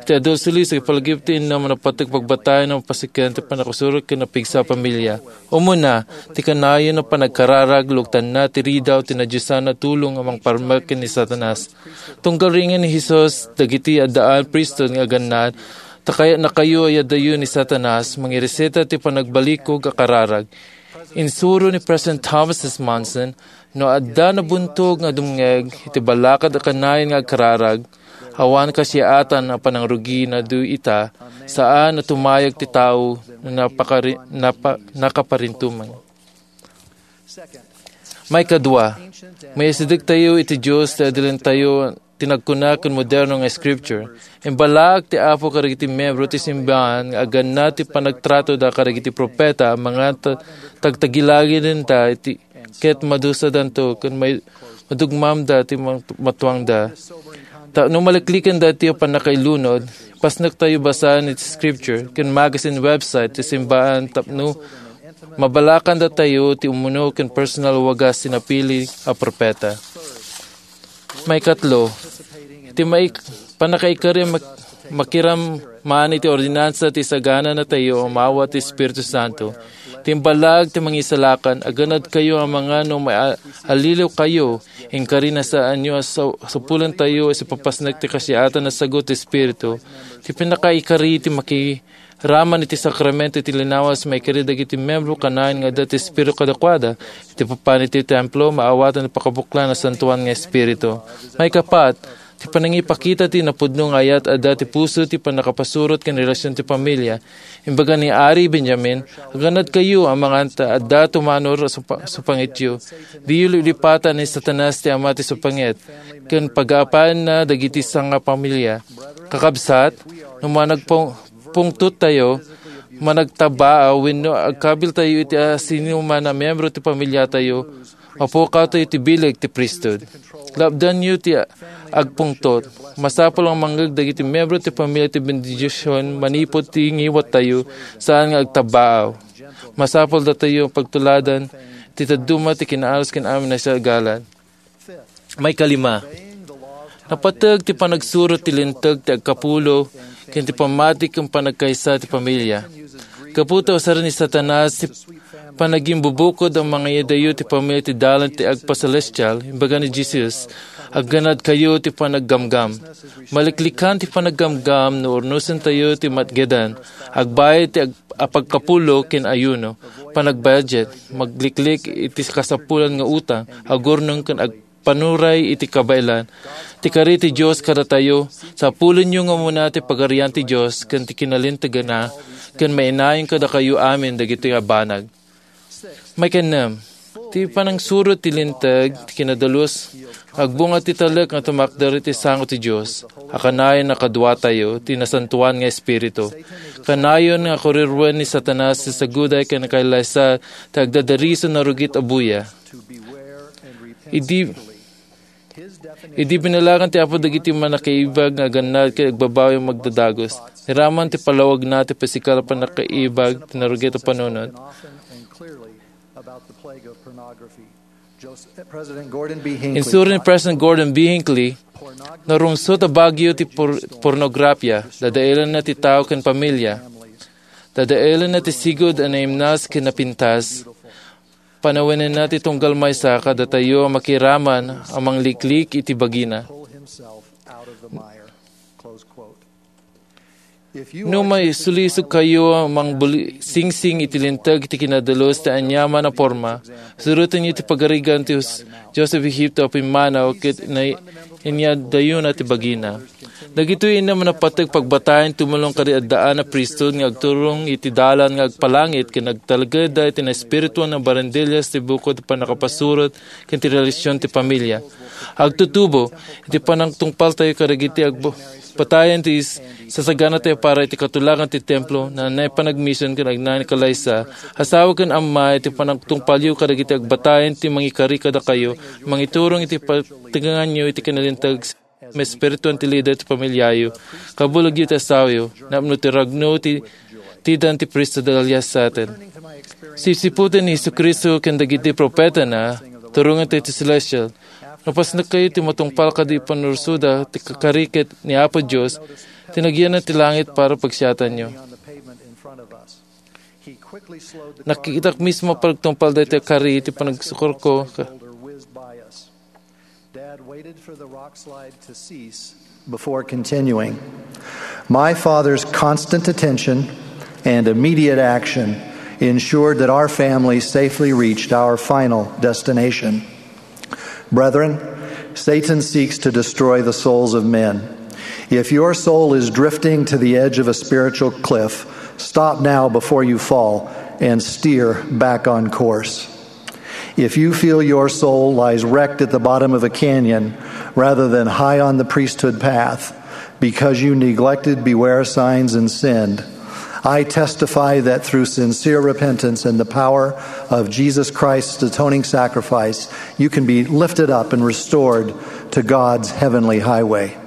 ti adu a sulis, ipalagip ti inna, manapateg pagbatayan a mapasiken ti pannakasurot ken napigsa a pamilia. Umuna, ti kanayon a panagkararag, lugtanna ti ridaw ti nadiosan a tulong a mangparmek ken ni Satanas. Tunggal ringen ni Jesus dagiti addaan priesthood nga agannad, ta kayatnakayo a iyadayo ni Satanas, mangireseta ti panagbalikog a kararag. Insuro ni President Thomas S. Monson, "No adda nabuntog nga dumngeg iti balakad a kanayon nga agkararag, awan kasiaatan a panangrugi na do ita, saan a tumayag ti tao no napakari-, napa-, nakaparintumeng." Maikadua, maisidegtayo iti Dios ti adilentayo ti nagkuna ken moderno nga scripture. Imbalaak ti Apo kadagiti miyembro ti simbahan nga agannad ti panagtratoda kadagiti propeta, mangan ta-, tagtagilagidenta iti, ket madusadanto ken may-, madugmamda ti mang-, matuangda. Ta no maliklikanda ti pannakailunod, pasnektayo basaen iti scripture ken magazine website ti simbahan tapno mabalakandatayo ti umuno ken personal wagas ti napili a propeta. Maikatlo, ti maik-, pannakaikari a mak-, makiram man iti ordinansa ti sagananatayo a maawat ti Espiritu Santo. Ti imbalag ti mangisalakan, aganadkayo a mangan no maalliwkayo, inkari na saanyo a sa-, sapulentayo a sipapasnek ti kasiatan a sagut ti Espiritu. Ti pannakaikari ti maki-, raman iti sakramento iti linawas, maikari dagiti miyembro kanayon nga adda ti Espiritu kadakuada. Iti papan iti templo, maawatan ti pakabuklan a santuan nga Espiritu. Maikapat, ti panangipakita ti napudno nga ayat adda ti puso ti pannakapasurot ken relasyon ti pamilia. Imbaga ni Ari Benjamin, "Aganadkayo a mangan ta adda tumanor a supa-, supangityo. Diyo lilipatan ni Satanas ti ama ti supangit, ken pagaapaenna dagiti sangapamilia." Kakabsat, no managpung-, pungtottayo, managtabaa, wenno agkabiltayo iti asinoman a miyembro ti pamiliatayo, mapukawtayo ti bileg ti priesthood. Lapdanyo ti agpungtot. Masapul a mangngeg dagiti miyembro ti pamilia ti bendision manipud ti ngiwattayo, saan nga agtabaa. Masapul datayo pagtuladan ti dadduma ti kinaaros ken amin a sagalan. Maikalima, napateg ti panagsuro ti Linteg ti agkapulo ken ti pammati ken panagkaysa ti pamilia. Gapu ta usaren ni Satanas ti panagimbubukod a mangayadayo ti pamilia ti dalan ti agpaselestial, imbaga ni Jesus, "Agganadkayo ti panaggamgam." Maliklikan ti panaggamgam no urnosentayo ti matgedan, agbayad ti ag-, a pagkapulo ken ayuno, panag-budget, magliklik iti kasapulan nga utang, agurnong ken agpanuray iti kabaelan. Ti kari ti Dios kadatayo, sapulenyo nga umuna ti Pagarian ti Dios ken ti kinalinteganna, ken mainayon kadakayo amin dagiti a banag. Maikennem, ti panangsuro ti Linteg ti kinadalus, agbunga ti talek nga tumakder iti sango ti Dios. A kanayon a kaduatayo ti Nasantoan nga Espiritu. Kanayon nga kuriruen ni Satanas ti saguday ken kailaysa ti agdadariso narugit a buya. Idi, idi binalagan ti Apo dagiti mannakaibag nga agannad ket agbabawi a magdadagus, niraman ti palawagna ti pisikal a pannakaibag ti narugit a panunot. Insuro ni President Gordon B. Hinckley, "Narungsot a bagyo ti por-, pornografia, dadaelenna ti tao ken pamilia, dadaelenna ti sigud a naimnas ken napintas, panawenenna ti tunggal maysa kadatayo a makiraman a mangliklik iti bagina." No maisulisogkayo a mangbuli-, singsing iti linteg ti kinadalus ti aniaman a porma, surotenyo ti pagarigan ti Jos-, Joseph Egipto a pimmanaw ket na-, inyadayona ti bagina. Dagitoy innem a napateg pagbatayen tumulong kadi addaan a priesthood nga agturong iti dalan nga agpalangit ken agtalgedda iti naespirituan a barandillas ti bukod ti pannakapasurot ken ti relasion ti pamilya. Agtutubo iti panagtungpaltayo kadagiti agbatayan ti is-, sasaganatayo para iti katulagan ti templo, na naipanagmision ken agnanakalaiso. Asawa ken amma, iti panagtungpalyo kadagiti agbatayan ti mangikari kadakayo, mangiturong iti pateganganyo iti kinalinteg, maespirituan ti lider ti pamilyayo, kabulegyo ti asawayo, napno ti ragno ti tidan ti priesthood alias saten. Sipsiputen ni Jesu-Cristo ken dagiti propetana, turongen ti celestial. Napasnekkayo ti matungpal kadi panursuda ti kakari ket ni Apo Dios, ti nagyanan ti langit para pagsiatanyo. Nakitak mismo pagtungpal daytoy a kari iti panagsukorko. Dad waited for the rock slide to cease before continuing. My father's constant attention and immediate action ensured that our family safely reached our final destination. Brethren, Satan seeks to destroy the souls of men. If your soul is drifting to the edge of a spiritual cliff, stop now before you fall and steer back on course. If you feel your soul lies wrecked at the bottom of a canyon rather than high on the priesthood path because you neglected beware signs and sinned, I testify that through sincere repentance and the power of Jesus Christ's atoning sacrifice, you can be lifted up and restored to God's heavenly highway.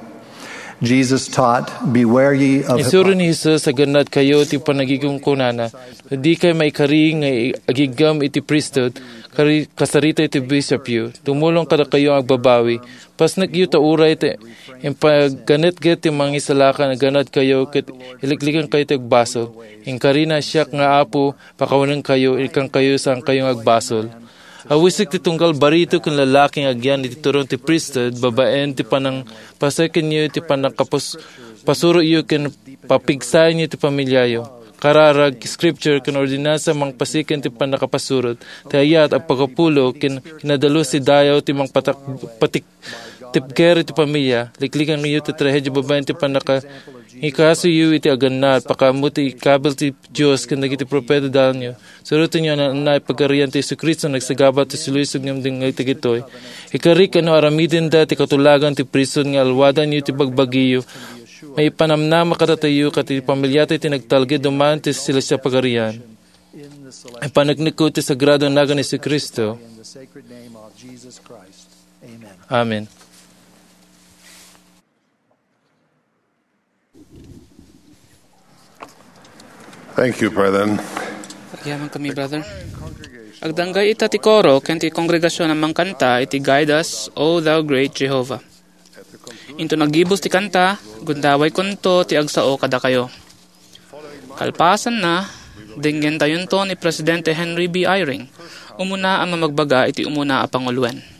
Jesus taught, "Beware ye of hypocrisy." Insuro ni Jesus a gannadkayo ti panagikungkunana. No dikay maikari nga i-, agiggam iti priesthood, kari-, kasarita iti bishopyo. Tumulong kadakayo nga agbabawi. Pasnekyo ta uray ti impaganetget ti mangisalakan a gannadkayo ket iliklikankayo ti agbasol. Inkarina, "Siak nga Apo, pakawanenkayo, ikkankayo, saankayo nga agbasol." Awisek ti tunggal barito ken lalaki nga agyan iti turong ti priesthood babaen ti panangpasikenyo iti pannakapus-, pasuroyo ken papigsaenyo ti pamiliayo. Kararag, scripture, ken ordinansa mangpasiken ti pannakapasurot, ti ayat, agpakapulo, ken kinadalus ti dayaw ti mangpatak-, patik-, tipger iti pamilia. Liklikanyo ti trahedia babaen ti pannaka-, ikasoyo iti agannad, pakaammo ti ikabil ti Dios ken dagiti propeta dalanyo. Surotenyo a naannaay pagarian ti Jesu-Cristo nagsagaba ti sulisog ngem dengngeg dagitoy. Ikarik a no aramidenda ti katulagan ti priesthood nga alwadanyo ti bagbagiyo, maipanamnama kadatayo ket ti pamiliatayo ti nagtalged man ti selestial pagarian. Ipaneknekko ti sagrado a nagan ni Jesu-Cristo. Amen. Thank you, brethren. Agyamankami, brother. Agdanggay ita ti koro ken ti kongregasion a mangkanta iti Guide Us, O Thou Great Jehovah. Inton aggibus ti kanta, gundawaykonto ti agsao kadakayo. Kalpasanna, denngentayonto ni Presidente Henry B. Eyring, umuna a mamagbaga iti umuna a panguloen.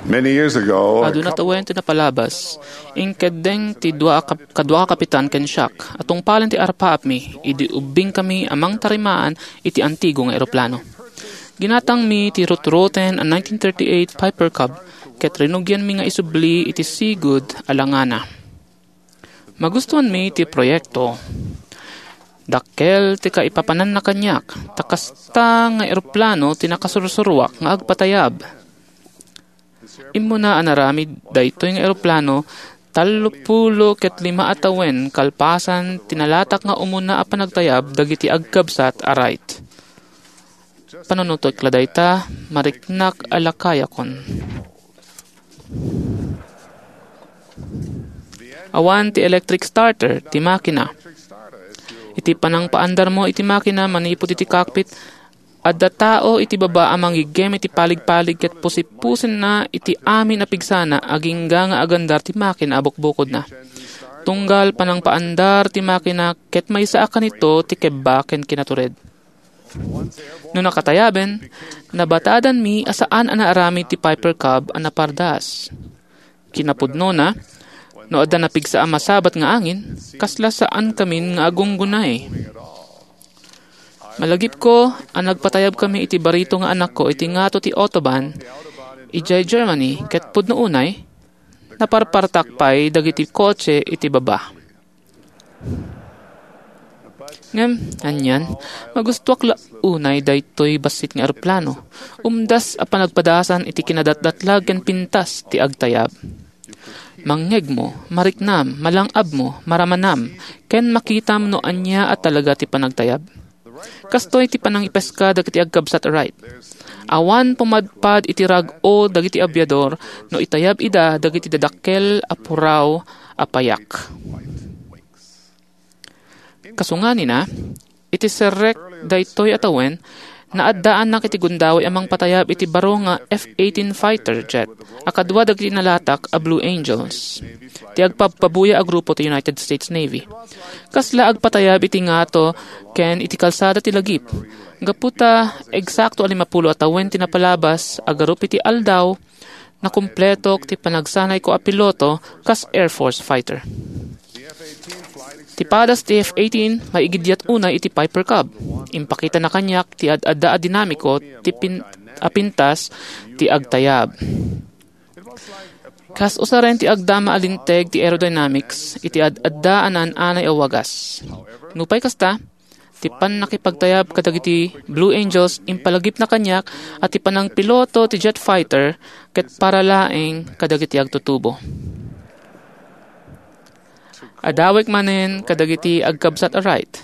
Many years ago, a Aduna couple tawen ti napalabas, inkeddeng ti dua a kap-, kadua a kapitan ken siak a tungpalen ti arpaapmi idi ubbingkami a mangtarimaan iti antigo nga eroplano. Ginatangmi ti rutroten a nineteen thirty-eight Piper Cub ket rinugianmi nga isubli iti sigud a langana. Magustuanmi ti proyekto. Dakkel ti kaipapananna kaniak, ta kasta nga eroplano ti nakasursuruak nga agpatayab. Immuna a naramid daytoy nga eroplano, tallopulo ket lima a tawen kalpasan ti nalatak nga umuna a panagtayab dagiti agkabsat a Wright. Panunotek la dayta, mariknak a lakayakon. Awan ti electric starter ti makina. Iti panangpaandarmo iti makina manipud iti cockpit, adda tao iti baba a mangiggem iti paligpalig ket pusipusenna iti amin a pigsana agingga nga agandar ti makina a bukbukodna. Tunggal panangpaandar ti makina ket maysa a kanito ti kebba ken kinatured. No nakatayaben, nabatadanmi a saan a naaramid ti Piper Cub a napardas. Kinapudnona, no adda napigsa a masabat nga angin, kasla saankamin nga agunggunay. Malagipko a nagpatayabkami iti barito nga anakko iti ngato ti Autobahn, idiay Germany, ket pudno unay, naparpartak pay dagiti kotse iti baba. Ngem, anian, magustuak la unay daytoy bassit nga eroplano. Umdas a panagpadasan iti kinadatdatlag ken pintas ti agtayab. Mangngegmo, mariknam, malang-abmo, maramanam, ken makitam no ania a talaga ti panagtayab. Kastoy ti panangipeska dagiti agkabsat a Wright. Awan pumadpad iti rag-o dagiti abiador no itayab ida dagiti dadakkel a puraw a payak. Kasunganina, iti serrek daytoy a tawen, naaddaanak iti gundaway a mangpatayab iti baro nga F eighteen fighter jet a kadua dagiti nalatak a Blue Angels, ti agpabpabuya a grupo ti United States Navy. Kasla agpatayab iti ngato ken iti kalsada ti lagip. Gapu ta eksakto a limapulo a tawen ti napalabas, agarup iti aldaw, nakumpletok ti panagsanayko a piloto kas Air Force fighter. Ti padas ti F eighteen, maigiddiat unay iti Piper Cub. Impakitana kaniak ti ad-adda a dinamiko ti pin-, a pintas ti agtayab. Kas usaren ti agdama a linteg ti aerodynamics iti ad-adda a naan-anay a wagas. Nupay kasta, ti pannakipagtayab kadagiti Blue Angels impalagipna kaniak a ti panangpiloto ti jet fighter ket para laeng kadagiti agtutubo. Adawek manen kadagiti agkabsat a Wright.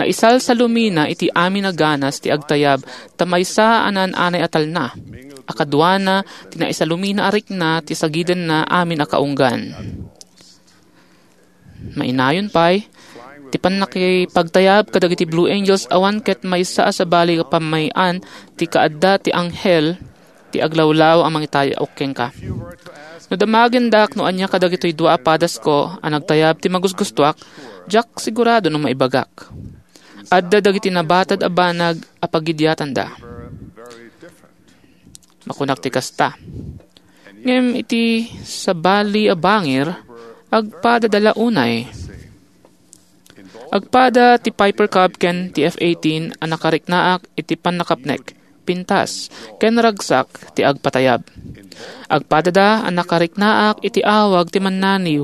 Naisalsalumina iti amin a ganas ti agtayab ta maysa a naan-anay a talna. A kaduana ti naisalumina a rikna ti sagidenna amin a kaunggan. Mainayon pay, ti pannakipagtayab kadagiti Blue Angels awan ket maysa a sabali a pammay-an ti kaadda ti anghel ti aglawlaw a mangitayaok kenka. No damagendak no ania kadagitoy dua a padasko a nagtayab ti magusgustoak, diak sigurado no maibagak. Adda dagiti nabatad a banag a pagidiatanda. Makunak ti kasta. Ngem iti sabali a bangir, agpadada la unay. Agpada ti Piper Cub ken ti F eighteen a nakariknaak iti pannakapnek, pintas, ken ragsak ti agpatayab. Agpadada a nakariknaak iti awag ti mannaniw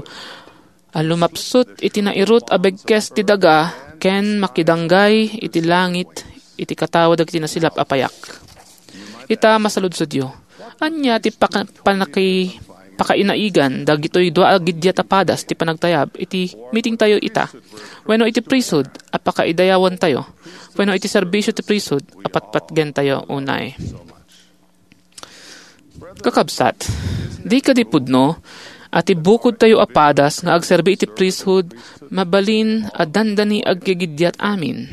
a lumapsut iti nairut a begkes ti daga ken makidanggay iti langit iti katawa dagiti nasilap a payak. Ita, masaludsodyo, ania ti paka-, panaki-, pakainaigan dagitoy dua a giddiat a padas ti panagtayab iti meetingtayo ita, wenno iti priesthood a pakaidayawantayo, wenno iti serbisio ti priesthood a patpatgentayo unay? Kakabsat, di kadi pudno a ti bukodtayo a padas nga agserbi iti priesthood mabalin a dandani aggigiddiat amin?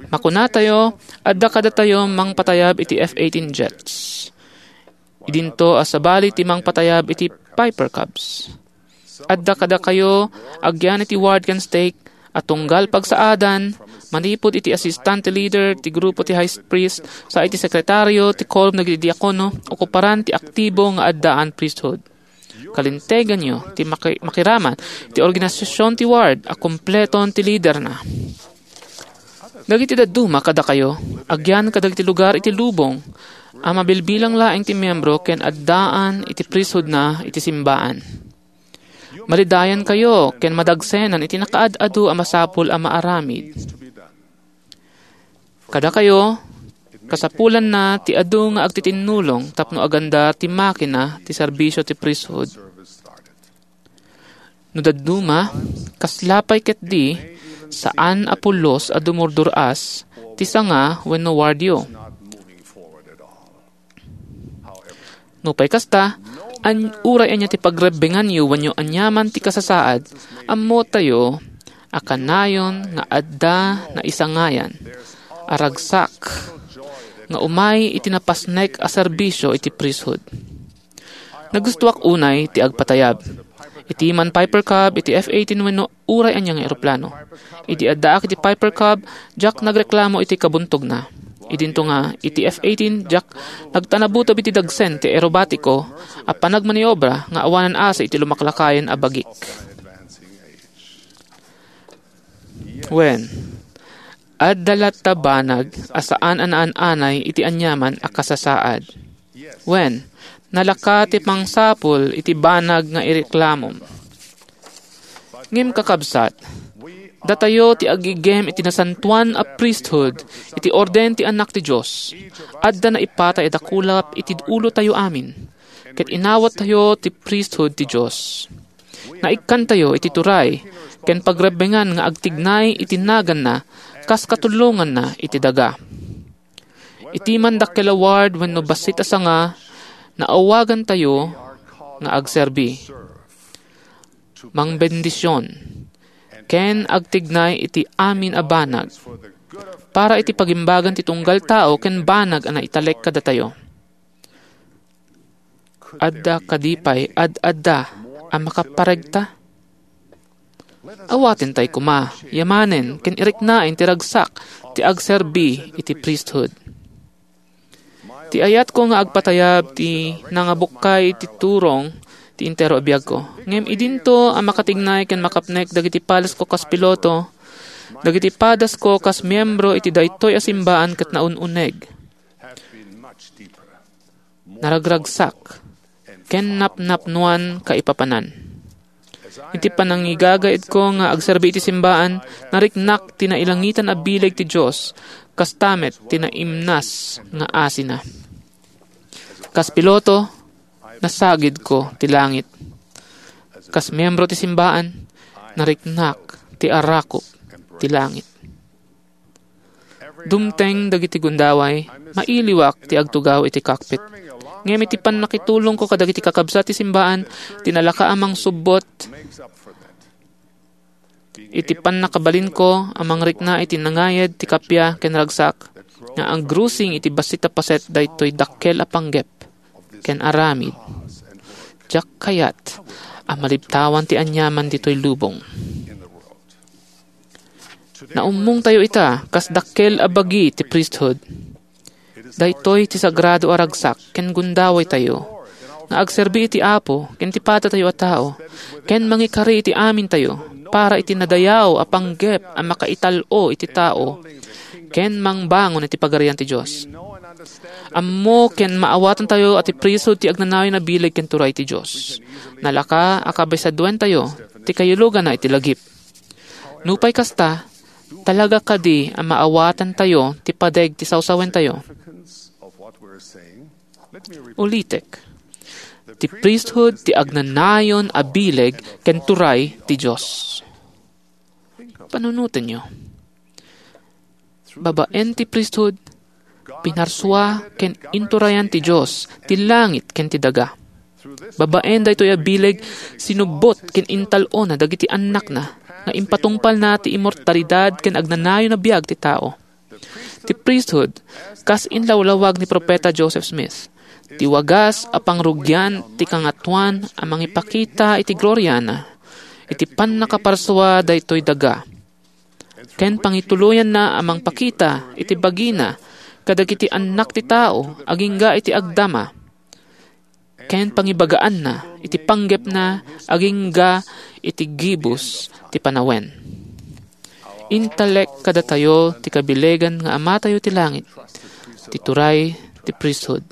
Makunatayo, adda kadatayo mangpatayab iti F eighteen jets. Idinto a sabali ti mangpatayab iti Piper Cubs. Adda kadakayo, agyan iti ward ken stake, a tunggal pagsaadan, Manipud iti assistant leader ti grupo ti high priest, sa iti sekretario ti quorum dagiti diakono, okuparan ti aktibo nga addaan priesthood. Kalinteganyo ti maki-, makiraman ti organisasion ti ward a kompleton ti liderna. Dagiti dadduma kadakayo, agyan kadagiti lugar iti lubong a mabilbilang laeng ti miyembro ken addaan iti priesthoodna iti simbaan. Malidayankayo ken madagsenan iti nakaad-adu a masapul a maaramid. Kadakayo, kasapulanna ti adu nga agtitinnulong tapno aganda ti makina ti serbisio ti priesthood. No dadduma, kasla pay ketdi, saan a pulos a dumurdur-as ti sanga wenno wardyo. Nupay kasta, an-, uray ania ti pagrebbenganyo wenno aniaman ti kasasaad, ammotayo a kanayon nga adda naisangayan a ragsak nga umay iti napasnek a serbisio iti priesthood. Nagustoak unay ti agpatayab. Iti man Piper Cub, iti F eighteen wenno uray ania nga eroplano. Idi addaak iti Piper Cub, diak nagreklamo iti kabuntogna. Idinto nga iti F eighteen, diak nagtanabutob iti dagsen ti aerobatiko a panagmaniobra nga awanan asi iti lumaklakayen a bagik. Wen, adda latta banag a saan a naan-anay iti aniaman a kasasaad. Wen, nalaka ti pangsapul iti banag nga ireklamom. Ngem, kakabsat, datayo ti aggigem iti nasantoan a priesthood iti orden ti Anak ti Dios. Adda naipatay a dakulap iti ulotayo amin, ket inawattayo ti priesthood ti Dios. Naikkantayo iti turay ken pagrebbengan nga agtignay iti naganna kas katulonganna iti daga. Iti man dakkel a ward wenno bassit a sanga, naawagantayo nga agserbi, mangbendision, ken agtignay iti amin a banag para iti pagimbagan ti tunggal tao ken banag a naitalek kadatayo. Adda kadi pay ad-adda a makaparegta? Awatentay koma, yamanen, ken iriknaen ti ragsak ti agserbi iti priesthood. Ti ayatko nga agpatayab ti nangabukkay ti turong ti entero a biagko. Ngem idinto a makatignay ken makapnek dagiti padasko kas piloto, dagiti padasko kas miembro iti daytoy a simbaan ket naun-uneg, naragragsak, ken napnapnoan kaipapanan. Iti panangigagaedko nga agserbi iti simbaan, nariknak ti nailangitan a bileg ti Dios, kasta met ti naimnas nga asina. Kas piloto, nasagidko ti langit. Kas miembro ti simbaan, nariknak ti arakop ti langit. Dumteng dagiti gundaway, mailiwak ti agtugaw iti cockpit. Ngem iti pannakitulongko kadagiti kakabsat ti simbaan, ti nalaka a mangsubbot iti pannakabalinko a mangrikna iti nangayed ti kappia ken ragsak nga aggrusing iti bassit a paset daytoy dakkel a panggep ken aramid. Diak kayat a malibtawan ti aniaman ditoy lubong. Naummongtayo ita kas dakkel a bagi ti priesthood. Daytoy ti sagrado a ragsak ken gundawaytayo nga agserbi iti Apo ken ti padatayo a tao, ken mangikari iti amintayo para iti nadayaw a panggep a makaital-o iti tao ken mangbangon iti Pagarian ti Dios. Ammo ken maawatantayo a ti priesthood ti agnanayon a bileg ken turay ti Dios. Nalaka a kabisaduentayo ti kayuluganna iti lagip. Nupay kasta, talaga kadi a maawatantayo ti padeg ti sawsawentayo? Ulitek, ti priesthood ti agnanayon a bileg ken turay ti Dios. Panunotenyo. Babaen ti priesthood, pinarsua ken inturayan ti Dios ti langit ken ti daga. Babaen daytoy a bileg, sinubbot ken intal-ona dagiti annakna nga impatungpalna ti immortalidad ken agnanayon a biag ti tao. Ti priesthood, kas inlawlawag ni Profeta Joseph Smith, ti wagas a pangrugian ti Kangatoan a mangipakita iti gloriana iti pannakaparsua daytoy daga. ken pangituloyanna a mangpakita iti bagina kadagiti annak ti tao agingga iti agdama, ken pangibagaanna iti panggepna agingga iti gibus ti panawen. Intalek kadatayo ti kabilegan nga Amatayo ti langit, ti turay ti priesthood.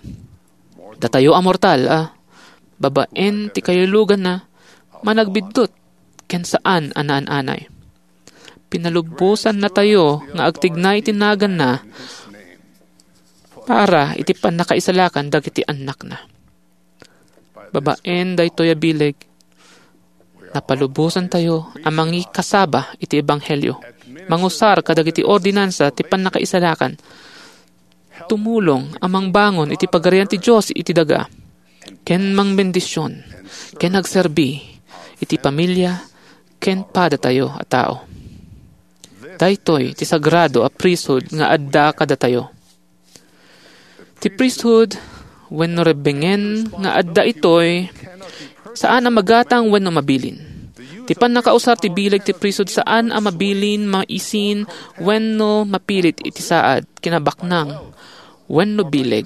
Datayo a mortal a, babaen ti kailuluganna, managbiddut ken saan a naan-anay. Pinalubosannatayo nga agtignay ti naganna para iti pannakaisalakan dagiti annakna. Babaen daytoy a bileg, napalubosantayo a mangikasaba iti ebanghelio, mangusar kadagiti ordinansa ti pannakaisalakan, tumulong a mangbangon iti Pagarian ti Dios iti daga, ken mangbendision, ken agserbi iti pamilia ken padatayo a tao. Daytoy ti sagrado a priesthood nga adda kadatayo. Ti priesthood wenno rebbengen nga adda itoy, saan a magatang wenno mabilin. Ti pannakausar ti bileg ti priesthood saan a mabilin, maisin, wenno mapilit iti saad, kinabaknang, wenno bileg.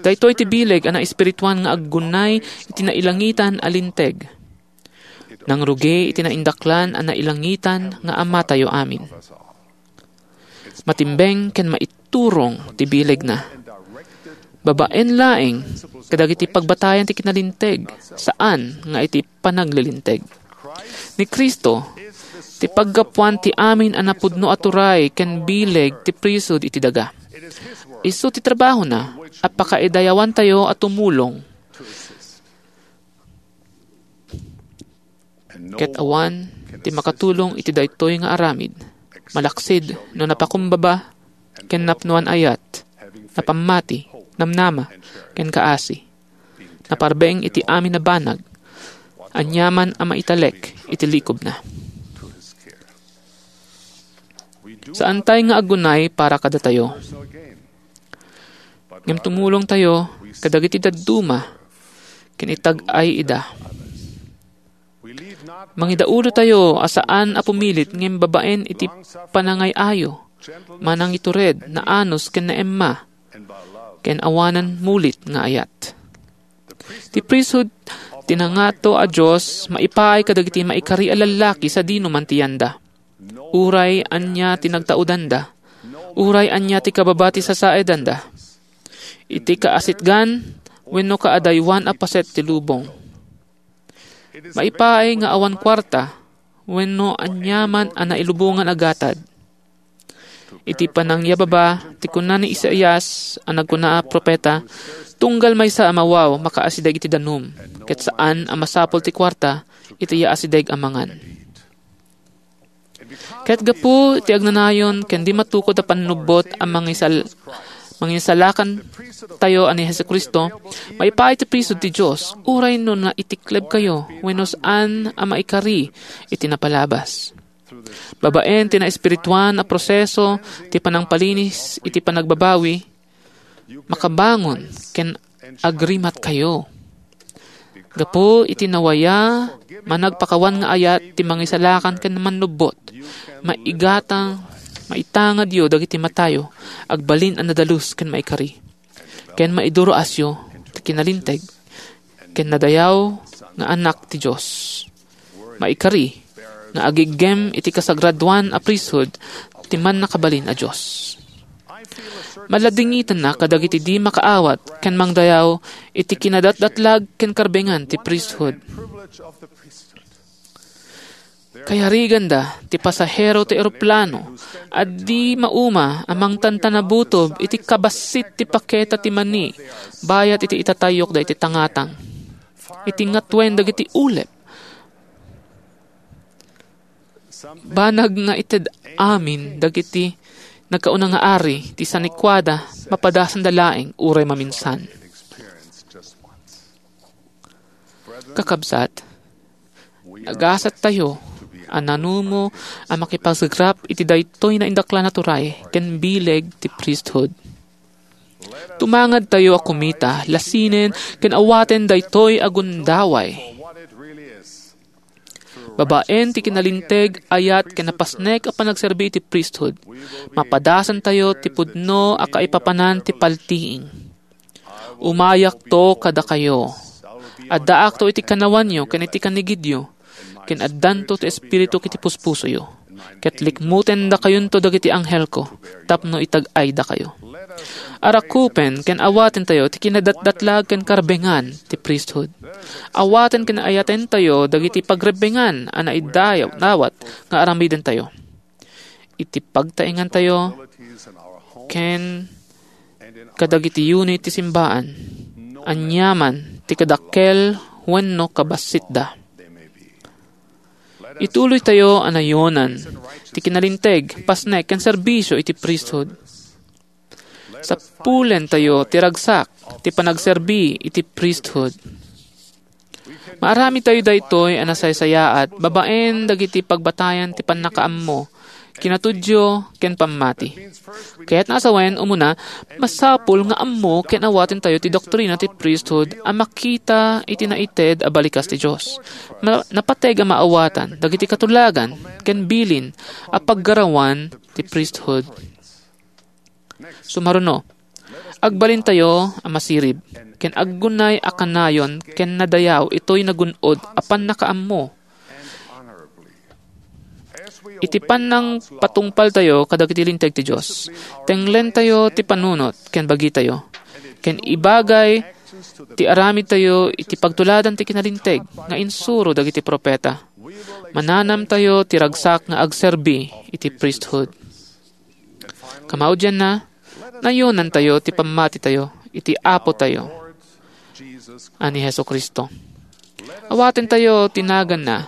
Daytoy ti bileg a naespirituan nga aggunay iti nailangitan a linteg. Nangrugi iti naindaklan a nailangitan nga Amatayo amin. Matimbeng ken maiturong ti bilegna. Babaen laeng kadagiti pagbatayan ti kinalinteg, saan nga iti panaglilinteg. Ni Cristo, ti paggapuan ti amin a napudno a turay ken bileg ti priesthood iti daga. Isu ti trabahona a pakaidayawantayo a tumulong. Ket awan ti makatulong iti daytoy nga aramid, malaksid no napakumbaba ken napnoan ayat, napammati, namnama, ken kaasi. Naparbeng iti amin a banag, aniaman a maitalek iti likobna. Saantay nga aggunay para kadatayo. Ngem tumulongtayo kadagiti dadduma ken itag-ay ida. Mangidaulotayo a saan a pumilit ngem babaen iti panangay-ayo, manangitured, naanus ken naemma, ken awanan mulit nga ayat. Ti priesthood ti nangato a Dios maipaay kadagiti maikari a lallaki sadino man ti yanda. Uray ania ti nagtaudanda, uray ania ti kababa ti sasaedanda, iti kaasitgan wenno kaadaywan a paset ti lubong. Maipaay nga awan kuarta wenno aniaman a nailubongan a gatad. Iti panangyababa ti kuna ni Isaias a nagkuna a propeta, "Tunggal maysa a mawaw makaasideg iti danum, ket saan a masapul ti kuarta iti yaasideg a mangan." Ket gapu iti agnanayon ken di matukod a pannubbot a mangisal-, mangisalakan tayo a ni Jesu-Cristo, maipaay ti priesthood ti Dios, uray no naitiklebkayo wenno saan a maikari iti napalabas. Babaen ti naespirituan a proseso ti panangpalinis iti panagbabawi, makabangon ken agrimatkayo. Gapu iti nawaya, managpakawan nga ayat ti mangisalakan ken mannubbot, maigatang, maitangadyo dagiti matayo, agbalin a nadalus ken maikari. Ken maiduroasyo ti kinalinteg ken nadayaw nga anak ti Dios. Maikari nga agiggem iti kasagradoan a priesthood ti Mannakabalin a Dios. Maladingitenna kadagiti di makaawat ken mangdayaw iti kinadatdatlag ken karbengan ti priesthood. Kayariganda ti pasahero ti eroplano a di mauma a mangtantanabutob iti kabassit ti paketa ti mani bayat iti itatayyok daytoy tangatang. Iti ngatuen dagiti ulep. Banag nga ited amin dagiti nagkauna nga ari ti sanikuada, mapadasanda laeng uray maminsan. Kakabsat, nagasattayo a nanumo a makipasagrap iti daytoy naindaklan a turay ken bileg ti priesthood. Tumangadtayo a kumita, lasinen, ken awaten daytoy a gundaway. Babaen ti kinalinteg, ayat, ken napasnek a panagserbi iti priesthood, mapadasantayo ti pudno a kaipapanan ti paltiing. Umayakto kadakayo. Addaakto iti kanawanyo ken iti kanigidyo, ken addanto ti Espirituk iti puspusoyo. Ket likmutendakayonto dagiti anghelko tapno itag-aydakayo. Arakupen ken awatentayo ti kinadatdatlag ken karbengan ti priesthood. Awaten ken ayatentayo dagiti pagrebbengan a naidayawdawat nga aramidentayo. Iti pagtaengantayo ken kadagiti unit ti simbaan, aniaman ti kadakkel wenno kabassitda. Ituloytayo a nayonan ti kinalinteg, pasnek, ken serbisio iti priesthood. Sapulentayo ti ragsak ti panagserbi iti priesthood. Maaramidtayo daytoy a nasaysayaat babaen dagiti pagbatayan ti pannakaammo, kinatudyo, ken pammati. Kayatna a sawen, umuna, masapul nga ammo ken awatentayo ti doktrina ti priesthood a makita iti naited a balikas ti Dios. Ma-, napateg a maawatan dagiti katulagan ken bilin a paggarawan ti priesthood. Sumaruno, agbalintayo a masirib ken aggunay a kanayon ken nadayaw itoy nagun-od a pannakaammo. Iti pannangpatungpaltayo kadagiti linteg ti Dios, tenglentayo ti panunot ken bagitayo, ken ibagay ti aramidtayo iti pagtuladan ti kinalinteg nga insuro dagiti profeta. Mananamtayo ti ragsak nga agserbi iti priesthood. Kamaudianna, nayonantayo ti pammatitayo iti Apotayo a ni Jesu-Cristo. Awatentayo ti naganna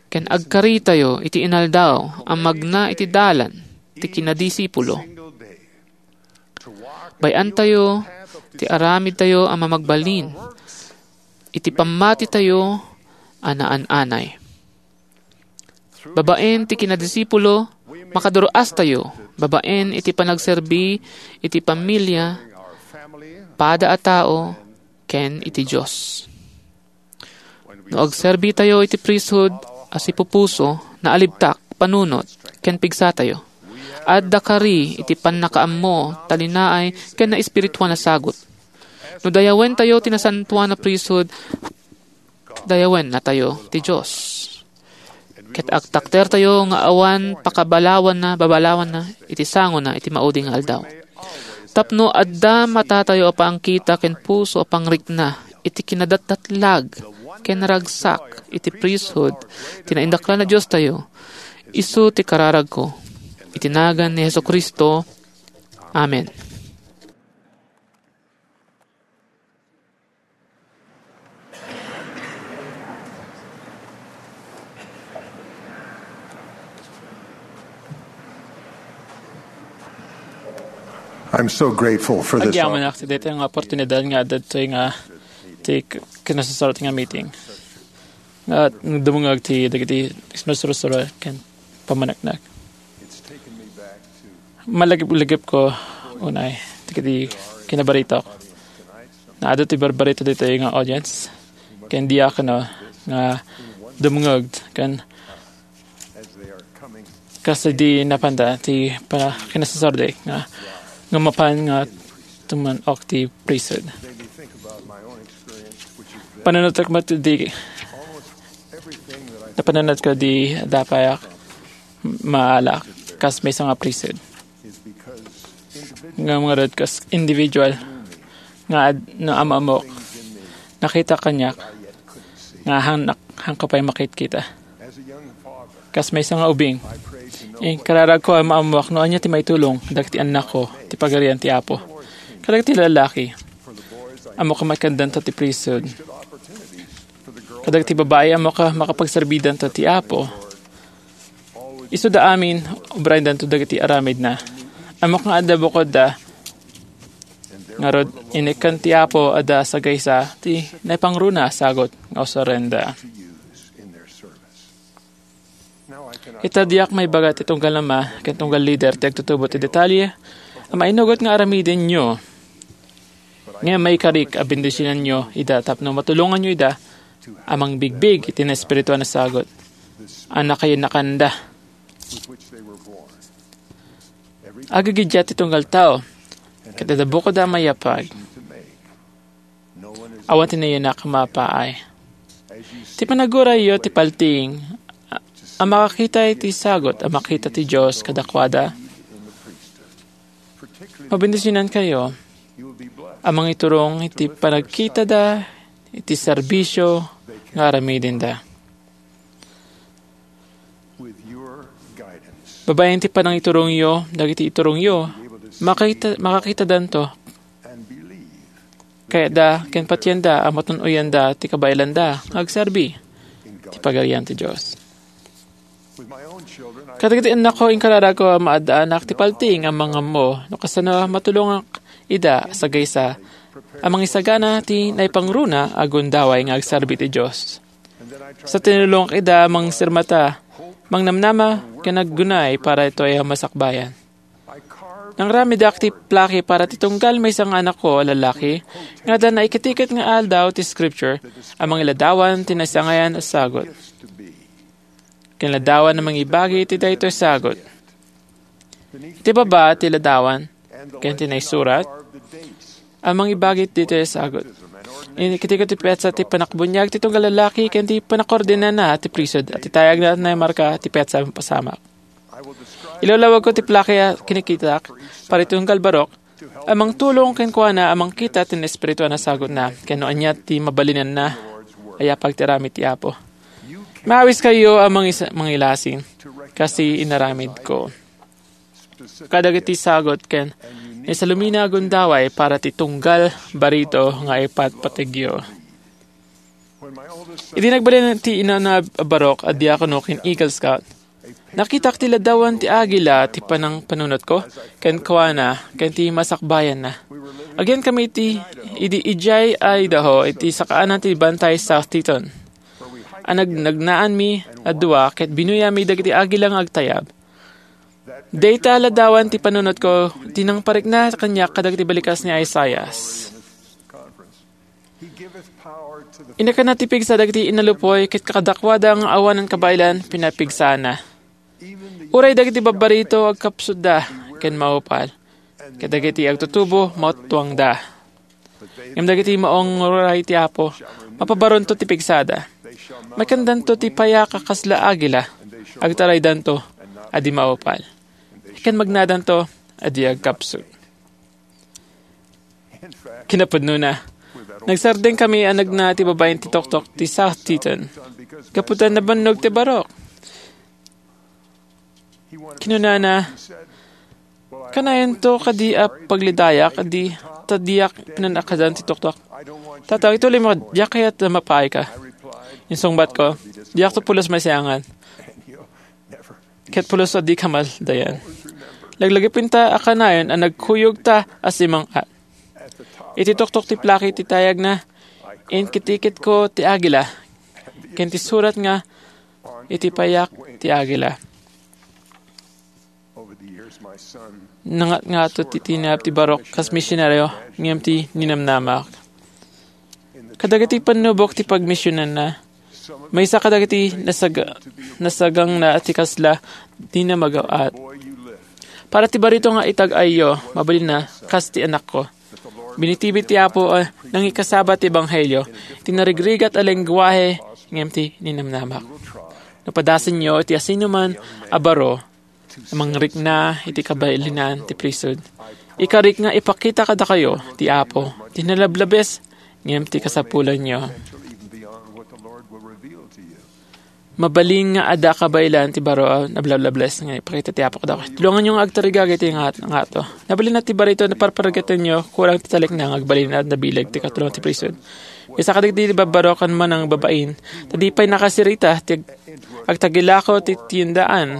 ken agkaritayo iti inaldaw a magna iti dalan ti kinadisipulo. Bay-antayo ti aramidtayo a mamagbalin iti pammatitayo a naan-anay. Babaen ti kinadisipulo, makaduru-astayo babaen iti panagserbi iti pamilia, pada a tao, ken iti Dios. No agserbitayo iti priesthood a sipupuso, naalibtak, panunot, ken pigsatayo, adda kari iti pannakaammo, talinaay, ken naespirituan a sagut. No dayawentayo ti nasantoan a priesthood, dayawennatayo ti Dios. Ket agtakdertayo nga awan pakabalawanna, babalawanna iti sangona iti maudi nga aldaw. Tapno adda matatayo a pangkita ken puso a pangrikna iti kinadatdatlag ken naragsak iti priesthood ti naindaklan a Diostayo, isu ti kararagko. Iti nagan ni Jesu-Cristo. Amen. I'm so grateful for this Agyamanak ti daytoy nga oportunidad nga adda ditoy nga ti k-, kinasasarat nga meeting. Nga dumungag ti dagiti sinursuro ken pamaneknek. Malagip-lagip ko unay dagiti kinabaritok. Naadu ti barbarito ditoy nga audience ken diakono nga dumungag ken kas idi napanda ti pa-, kinasasardi nga, nga mapan nga tuman-ok ti priesthood. Panunotek met di, napanunot ko di dapayak maalak kas maysa nga priesthood. Nga mga rod kas individual nga ad-, no amamok, nakita kaniak nga hang-, hangko pay makitkita. Kas maysa nga ubing, inkararagko a maammoak no ania ti maitulong dagiti annakko ti Pagarian ti Apo. Kadagiti lalaki, ammok a maikkandanto ti priesthood. Kadagiti babai, ammok a makapagserbidanto ti Apo. Isuda amin, obraendanto dagiti aramidna. Ammok nga adda bukodda. Ngarud, inikkan ti Apo a da sagaysa ti naipangruna a sagut nga usarenda. Ita diak maibaga ti tunggal ama ken tunggal lider ti agtutubo ti detalye a mainugot nga aramidenyo. Ngem maikarik a bendisionanyo ida tapno matulonganyo ida a mangbigbig iti naespirituan a sagut. a nakayanakanda. Agigiddiat ti tunggal tao, ket adda bukodda a mayapag. Awan ti nayanak a mapaay. Ti panagurayyo ti paltiing a, a makakita iti sagut a makita ti Dios kadakuada, mabendisionankayo a mangiturong iti panagkitada iti serbisio nga aramidenda. Babaen ti panangiturongyo dagiti iturongyo, makakita-, makakitadanto. Kayatda ken patienda a matun-oyanda ti kabaelanda nga agserbi ti Pagarian ti Dios. Kadagiti annakko, inkararagko a maaddaanak ti paltiing a mangammo no kasano a matulongak ida a sagaysa a mangisagana ti naipangruna a gundaway nga agserbi ti Dios. Sa tinulongak ida a mangsirmata, mangnamnama, ken aggunay para itoy a masakbayan. Nangramidak ti plaki para ti tunggal maysa nga anakko a lalaki nga adda naikitiket nga aldaw ti Scripture a mangiladawan ti naisangayan a sagut. Kinladawan a mangibagi iti daytoy sagut. Iti baba ti ladawan ken ti naisurat a mangibagi iti daytoy sagut. Inikitiko ti petsa ti panakbuniag ti tunggal lalaki ken ti panakordinana ti priesthood a ti tayagna a naimarka ti petsa a mapasamak. Ilawlawagko ti plaki a kinikitak para iti tunggal barok a mangtulong kenkuana a mangkita ti naespirituan a sagutna ken no ania ti mabalinanna a yapag ti aramid ti Apo. Maawiskayo a mangis-, mangilasin, kas ti inaramidko. Kadagiti sagut ken naisalumina a gundaway para ti tunggal barito nga ipatpategyo. Idi nagbalin ti inana a barok a diakono ken Eagle Scout, nakitak ti ladawan ti agila ti panangpanunotko kenkuana ken ti masakbayanna. Agiyankami iti, idi idiay Idaho, iti sakaanan ti Bantay South Teton. A nag-, nagnaanmi a dua ket binuyami dagiti agila nga agtayab. Dayta a ladawan ti panunotko ti nangparikna kaniak kadagiti balikas ni Isaias. Inakana ti pigsa dagiti inalupoy ket kadakuada nga awanan kabaelan pinapigsana. Uray dagiti babbarito agkapsutda ken maupal, ket dagiti agtutubo matuangda. Ngem dagiti maunguray ti Apo, mapabaronto ti pigsada. Maikandanto ti payak a kasla agila, agtaraydanto a di maupal, ken magnadanto a di agkapsut. Kinapudnona, nagsardengkami a nagna ti babaen ti toktok ti South Teton. Gapu ta nabannog ti barok. Kinunana, "Kanayonto kadi a paglidayak, di, ta diak pinanakadan ti toktok. Tata, ituloy mo, diak kayat a mapaayka." Insungbatko, "Diakto pulos maisayangan. Ket pulos a dika maldayan. Laglagipenta a kanayon a nagkuyogta a simang-at." Iti toktok ti plaki ti tayagna, inkitikitko ti agila, ken ti surat nga iti payak ti agila. Nangatngato ti tinayab ti barok kas misionaryo, ngem ti ninamnamak. Kadagiti pannubok ti pagmisionanna, maysa kadagiti nasaga-, nasagangna ti kasla dina magaw-at. Para ti barito nga itag-ayyo, mabalinna, kas ti anakko. Binitibit ti Apo a nangikasaba ti ebanghelio, ti narigrigat a lengguahe, ngem ti ninamnamak. No padasenyo ti asinoman a baro a mangrikna iti kabailinan ti priesthood, ikarik nga ipakita kadakayo ti Apo ti nalablabes ngem ti kasapulanyo. Mabalin nga adda kabaelan ti baro a nablablabes nga ipakita ti Apo kadakayo. Tulonganyo nga agtarigag iti nga, nga ato. Nabalin ti barito, naparparigatanyo, kurang ti talekna nga agbalin a nabileg ti katulong ti priesthood. Maysa kadagiti babbaro ken manangbabain, ta di pay nakasirita ti ag-, agtagilako ti tiendaan.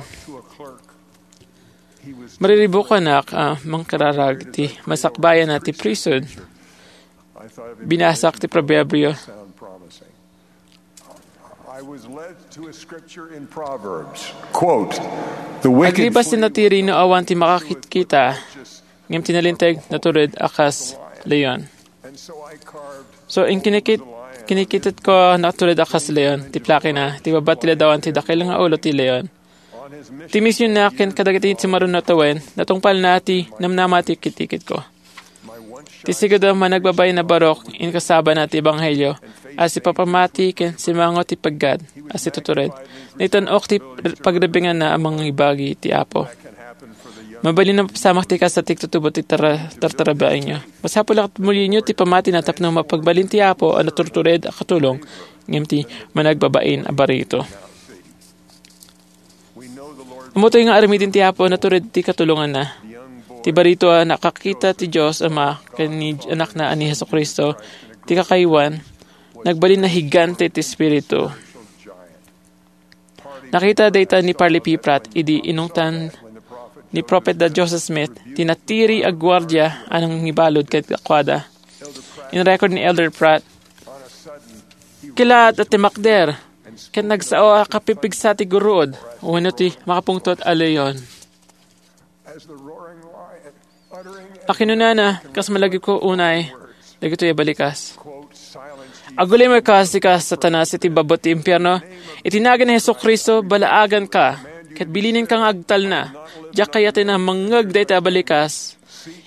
Mariribukanak a mangkararag ti masakbayan a ti priesthood. Binasak ti Proverbio. I was led to a scripture in Proverbs. Quote, "The wicked Aglibas ti flee natiri no awan ti makakitkita, ngem ti nalinteg natured a kas leon." And so I carved So, inkinikit, Kinikitetko a natured a kas leon ti plakina, ti babbat ti ladawan ti dakkel nga ulo ti leon. Ti misionna ken kadagiti simmurot a tawen, natungpalna ti namnama ti kitikitko. Ti sigud a managbabain a barok, inkasabana ti ebanghelio, a sipapamati ken simango ti peggad, a situtured. Naitan-ok ti pagrebbinganna a mangibagi ti Apo. Mabalin a mapasamak ti kasta ti agtutubo ti tara-, tartarabaenyo. Masapul a tumulionyo ti pamatina tapno mapagbalin ti Apo a naturtured a katulong, ngem ti managbabain a barito. Ammotayo nga aramiden ti Apo a natured ti katulonganna. Ti barito a nakakita ti Dios Ama ken ni Anakna a ni Jesu-Cristo, ti kakaywan, nagbalin a higante ti Espiritu. Nakita dayta ni Parley P. Pratt idi inungtan ni Propeta Joseph Smith ti natiri a guardia a nangibalud kadakuada. In-record ni Elder Pratt, "Kilaat a timmakder, ket nagsao a kapipigsa ti guruod, wenno ti makapungtot a leon." A kinunana, kas malagipko unay dagitoy a balikas. Agulimek kas ti kas Satanas iti babbut ti impierno. Iti nagan ni Jesu-Cristo, balaaganka, ket bilinenka nga agtalna. Diak kayaten a mangngeg dayta a balikas.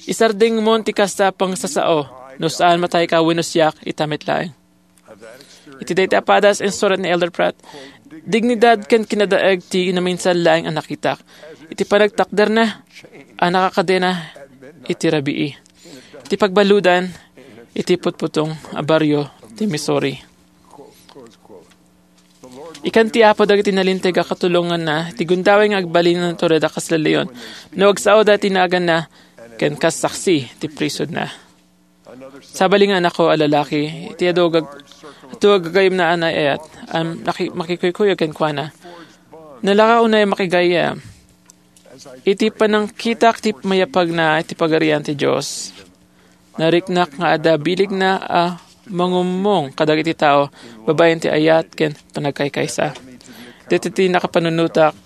Isardengmon ti kasta a pangsasao, no saan matayka wenno siak ita met laeng. Iti dayta a padas, insurat ni Elder Pratt, dignidad ken kinadaeg ti naminsan laeng a nakitak iti panagtakderna a nakakadena iti rabii, iti pagbaludan iti putputong a barrio ti Missouri. Ikan ti Apo dagiti nalinteg a katulonganna ti gundaway nga agbalin a natured a kas leon no agsaoda ti naganna ken kas saksi ti prisoda. Sabali nga anakko a lalaki, iti adu gag-, adu a gagayyemna a naayat, a maki-, makikuykuyog kenkuana. Nalaka unay a makigayyem. Iti panangkitak ti mayapagna iti Pagarian ti Dios, nariknak nga adda bilegna a mangummong kadagiti tao babaen ti ayat ken panagkaykaysa. Daytoy ti nakapanunotak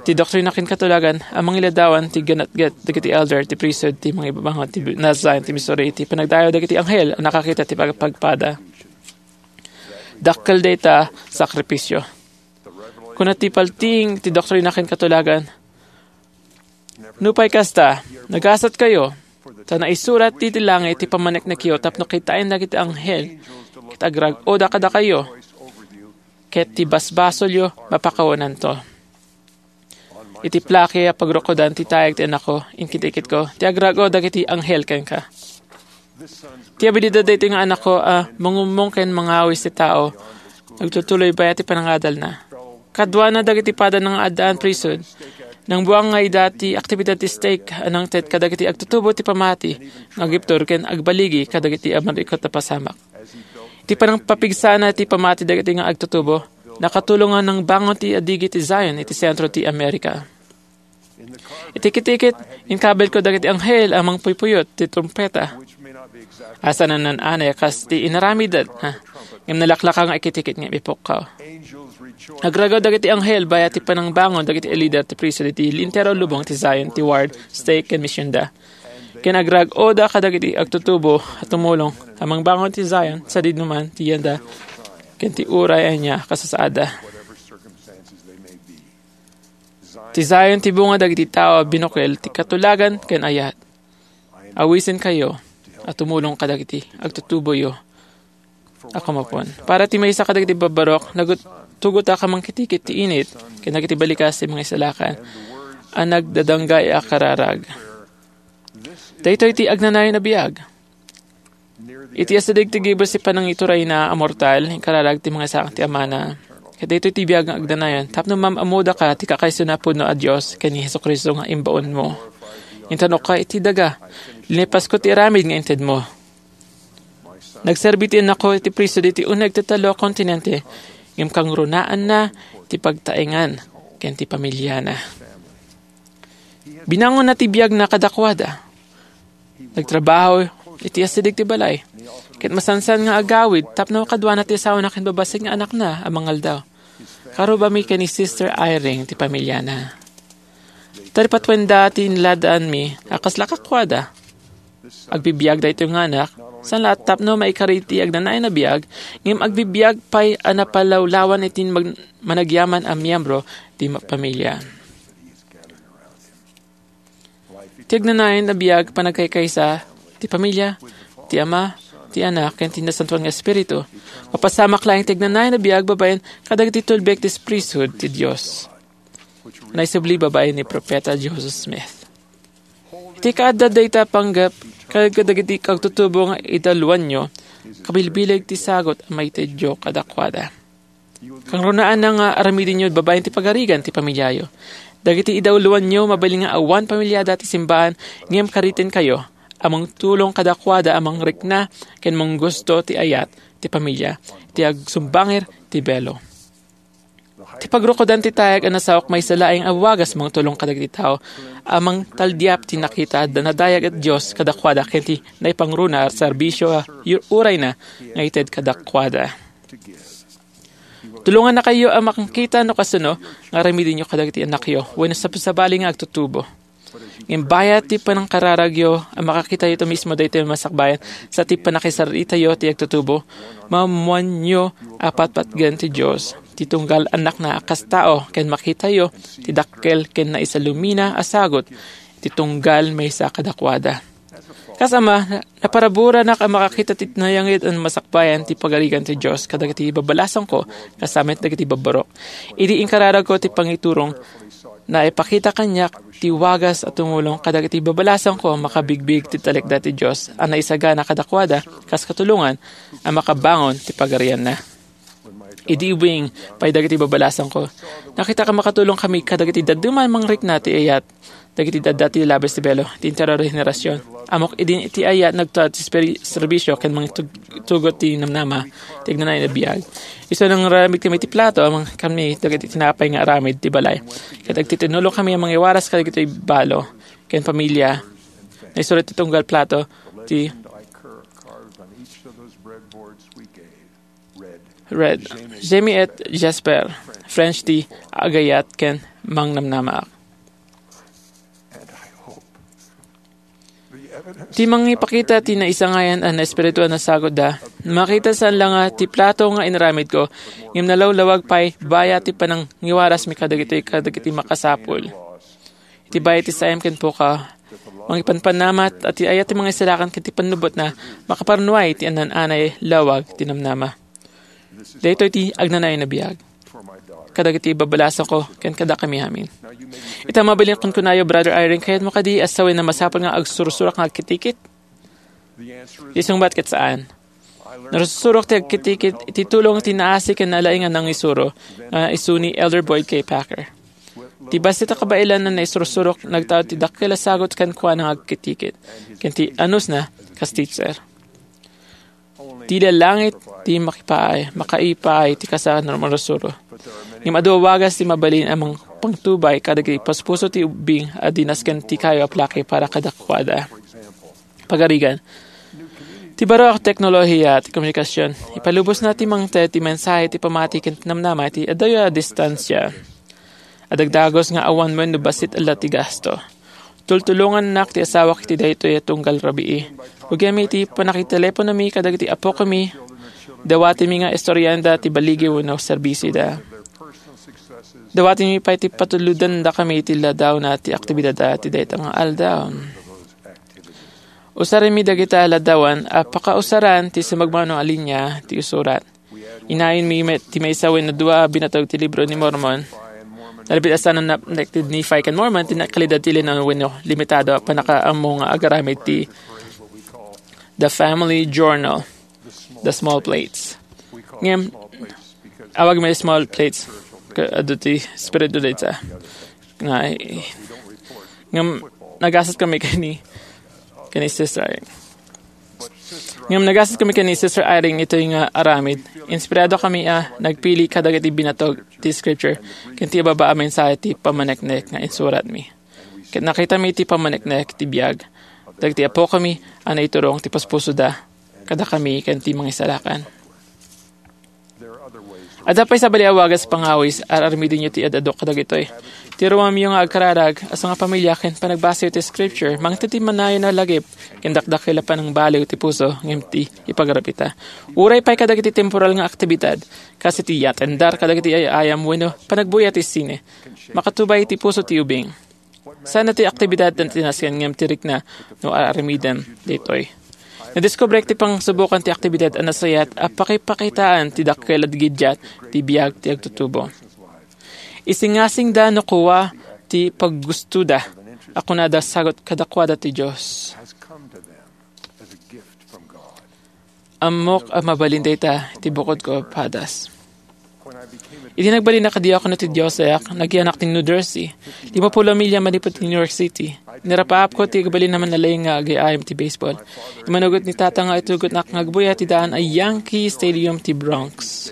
ti doktrina ken katulagan a mangiladawan ti ginatget dagiti elder ti priesthood ti mangibabangon ti Mount Zion ti Missouri iti panagdayaw dagiti anghel a nakakita ti pagpagpada. Dakkel dayta sakripisio. Kuna ti paltiing ti doktrina ken katulagan, "Nupay kasta, nagasatkayo, ta naisurat iti langit ti pammaneknekyo tapno kitaen dagiti anghel, ket agrag-oda kadakayo, ket ti basbasolyo mapakawananto." Iti plaki a pagrukodan ti tayag ti anakko, inkitikitko ti agrag-o dagiti anghel kenka. Ti abilidad daytoy nga anakko a mangummong ken mangawis ti tao, agtutuloy bayat ti panangadalna. Kaduana dagiti padana nga addaan priesthood, nangbuang nga ida ti aktibidad ti stake a nangted kadagiti agtutubo ti pamati nga agibtur ken agbaligi kadagiti a marikut a pasamak. Iti panangpapigsana ti pamati dagiti nga agtutubo, nakatulong nga nangbangon ti adigi ti Zion iti sentro ti Amerika. Iti kitikit, inkabilko dagiti anghel a mangpuypuyot ti trumpeta. Asa nan-anay a kas ti inaramidda, ha? Ngem nalaklaka nga ikitikit nga ipukkaw. Agragaw dagiti anghel bayat ti panangbangon dagiti lider ti priesthood iti lintero a lubong ti Zion, ti ward, stake, ken misionda. Ken agrag-oda kadagiti agtutubo a tumulong a mangbangon ti Zion, sadino man ti yanda, ken ti uray ania kasasaadda. Ti Zion ti bunga dagiti tao a binukel ti katulagan ken ayat. Awisenkayo a tumulong kadagiti agtutuboyo a kumapon. Para ti maysa kadagiti babbarok, nagut-, tugotak a mangkitikit ti init ken dagiti balikas ti mga isalakan a nagdadanggay a kararag. Daytoy ti agnanayon a biag. Iti asideg ti gibus ti panangiturayna a mortal, inkararag ti mga isalakan ti amana. Ket daytoy ti biag nga agnanayon, tapno maam-ammodaka ti kakaisuna a pudno a Dios ken ni Jesu-Cristo nga imbaonmo. Intanokka iti daga. Linipasko ti aramid nga intedmo. Nagserbi ti anakko iti priesthood iti uneg ti tallo a kontinente, ngem kangrunaan na ti pagtaengan ken ti pamiliana. Binangonna ti biagna kadakuada. Nagtrabaho iti asideg ti balay, ket masansan nga agawid tapno kaduana ti asawana ken babassit nga anakna a mangaldaw. Karubami ken ni Sister Eyring ti pamiliana. Taripatuenda ti inladaanmi a kasla kakuada. Agbibiag daytoy nga anak, Saan la tapno maikari ti agnanayon a biag, ngem agbibiag pay a napalawlawan iti mag-, managyaman a miyembro ti ma-, pamilya. Ti agnanayon a biag panagkaykaysa ti pamilya, ti Ama, ti Anak, ken ti Nasantoan nga Espiritu. Mapasamak laeng ti agnanayon a biag babaen kadagiti tulbek ti priesthood ti Dios. Naisubli babaen ni Profeta Joseph Smith. Iti kaadda dayta panggep, kadagiti agtutubo nga idawluanyo, kabilbileg ti sagut a maitedyo kadakuada. Kangrunaanna nga aramidenyo babaen ti pagarigan ti pamilyayo. Dagiti idawluanyo, mabalin nga awan pamilyada ti simbahan, ngem karitenkayo a mangtulong kadakuada a mangrikna ken manggusto ti ayat ti pamilya, ti agsumbangir ti belo. Ti pagrukodan ti tayag a nasaok maysa laeng a wagas mangtulong kadagiti tao a mangtaldiap ti nakita a nadayag a Dios kadakuada ken ti naipangruna a serbisio a yu-, urayna nga ited kadakuada. Tulongannakayo a makangkita no kasano nga aramidenyo kadagiti annakyo wenno sab-, sabali nga agtutubo. Ngem bayat ti panangkararagyo a makakitayo ita mismo daytoy a masakbayan sa ti pannakisaritayo ti agtutubo, maammoanyo a patpatgen ti Dios ti tunggal annakna a kas tao ken makitayo ti dakkel ken naisalumina a sagut ti tunggal maysa kadakuada. Kas ama, naparaburanak a makakita ti nayangit a masakbayan ti pagarigan ti Dios kadagiti babalasangko, kas sa met dagiti babbarok. Idi inkararagko ti pangiturong, naipakita kaniak ti wagas a tumulong kadagiti babalasangko a makabigbig ti talekda ti Dios a naisagana kadakuada kas katulongan a makabangon ti pagarianna. Idi ubing pay dagiti babalasangko, nakitak a makatulongkami kadagiti dadduma a mangrikna ti ayat dagiti adda ti labes ti belo ti interior a henerasion. Ammok idi iti ayat nagtaud ti spiri-, serbisio ken mangtug-, tugot ti namnama ti agnanayon a biag. Isu nga nangaramidkami ti plato a mangkami dagiti tinapay nga aramid ti balay. Ket agtitinulongkami a mangiwaras kadagiti balo ken pamilya. Naisurat ti tunggal plato ti Red. Jamie et Jasper, French ti agayat ken mangnamnamaak. Ti mangipakita ti naisangayan a naespiritu a nasagutda, makita saan la nga ti plato nga inaramidko, ngem nalawlawag pay bayat ti panangiwarasmi kadagitoy kadagiti makasapul. Iti bayat ti saem ken pukaw, mangipanpannamat a ti ayat ti mangisalakan ken ti pannubbotna, makaparnuay ti annan-anay lawag ti namnama. Daytoy ti agnanayon a biag kadagiti babalasangko ken kadakami amin. Ita mabalin kunkunayo, Brother Eyring, kayatmo kadi a sawen a masapul nga agsursurak nga agkitikit? Ti sungbat ket saan. Narsurok ti agkitikit iti tulong ti naasi ken nalaing a nangisuro nga isu ni Elder Boyd K. Packer. Ti bassit a kabaelan a naisursurok nagtaud ti dakkel a sagut kenkuana nga agkitikit ken ti anusna kas teacher. Ti lalangit ti makipaay, makaipaay ti kasa a narusuro. Ngem adu a wagas ti mabalin a mangpangtubay kadagiti paspuso ti ubbing a dinas ken ti kayo a plaki para kadakuada. Pagarigan. Ti baro a teknolohiya ti komunikasion, ipalubosna ti mangted ti mensahe ti pamati ken namnama iti adayo a distansia. Adagdagus nga awan wenno bassit a la ti gasto. Tultulongannak ti asawak iti daytoy a tunggal rabii. Ugiammi iti pannakiteleponomi kadagiti apokami, dawatimi nga istorianda ti baligi wenno serbisioda. Dawatimi pay ti patulodandakami iti ladawna ti aktibidadda ti dayta nga aldaw. Usarimi dagita a ladawan a pakausaran ti sumagmamano a linia ti isurat. Inayonmi met ti maysa wenno dua a binatog ti Libro ni Mormon. Nalabit a saan a napnek ti Nephi ken Mormon ti naikalidad ti linan wenno limitado a pannakaammo nga agaramid ti The Family Journal, The Small Plates. Ngem, awagmi Small Plates, ka-, adu ti espiritu dayta. Nga, ngem, nagasat kami kani, kani Sister Eyring. Ngem nagasat kami ken ni Sister Eyring itoy nga aramid. Inspirado kami a nagpili kadagiti binatog ti Scripture ken ti ababa a mensahe ti pammaneknek nga insuratmi. Ket nakitami ti pammaneknek ti biag dagiti apokami a naiturong ti paspusoda kadakami ken ti mangisalakan. Adda pay sabali a wagas pangawis, ar-aramidenyo ti ad-adu kadagitoy. Ti ruamyo nga agkararag, a sangapamilya ken panagbasayo ti Scripture, mangted ti manayon a lagip, ken dakdakel a panangbaliw ti puso, ngem ti ipagarapita. Uray pay kadagiti temporal nga aktibidad, kas iti yatendar kadagiti ay-ayam wenno panagbuya ti sine, makatubay ti puso ti ubing. Saan ti aktibidad ti nasken ngem ti rikna no ar-aramidem daytoy. Nadiskubrek ti pangsubokan ti aktibidad a nasayaat a pakipakitaan ti dakkel a gigiat ti biag ti agtutubo. Isingasingda no kua ti paggustoda a kunada sagut kadakuada ti Dios. Ammok a mabalin dayta ti bukodko a padas. Idi nagbalin a diakono ti dioseak, nagianak ti New Jersey. Limappulo a milya manipud ti New York City. Nirapaapko ti agbalin a mannalaing nga agay-ayam ti baseball. Immanugot ni Tata nga itugotnak nga agbuya ti daan a Yankee Stadium ti Bronx.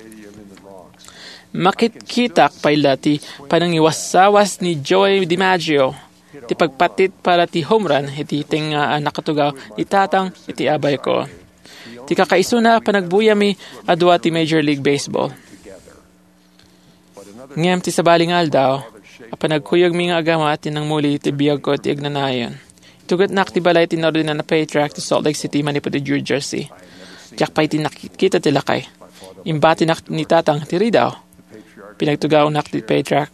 Makitkitak pay la ti panangiwasawas ni Joey DiMaggio, ti pagpattit para ti home run iti tengnga a nakatugaw ni Tatang iti abayko. Ti kakaisuna a panagbuyami a dua ti Major League Baseball. Ngem ti sabali nga aldaw, a panagkuyogmi nga agama ti nangmuli ti biagko ti agnanayon. Itugotnak ti balay ti naordinan a patriark ti Salt Lake City manipud ti New Jersey. Diak pay ti nakita ti lakay. Imbatinak ni Tatang ti ridaw. Pinagtugawnak ti patriark.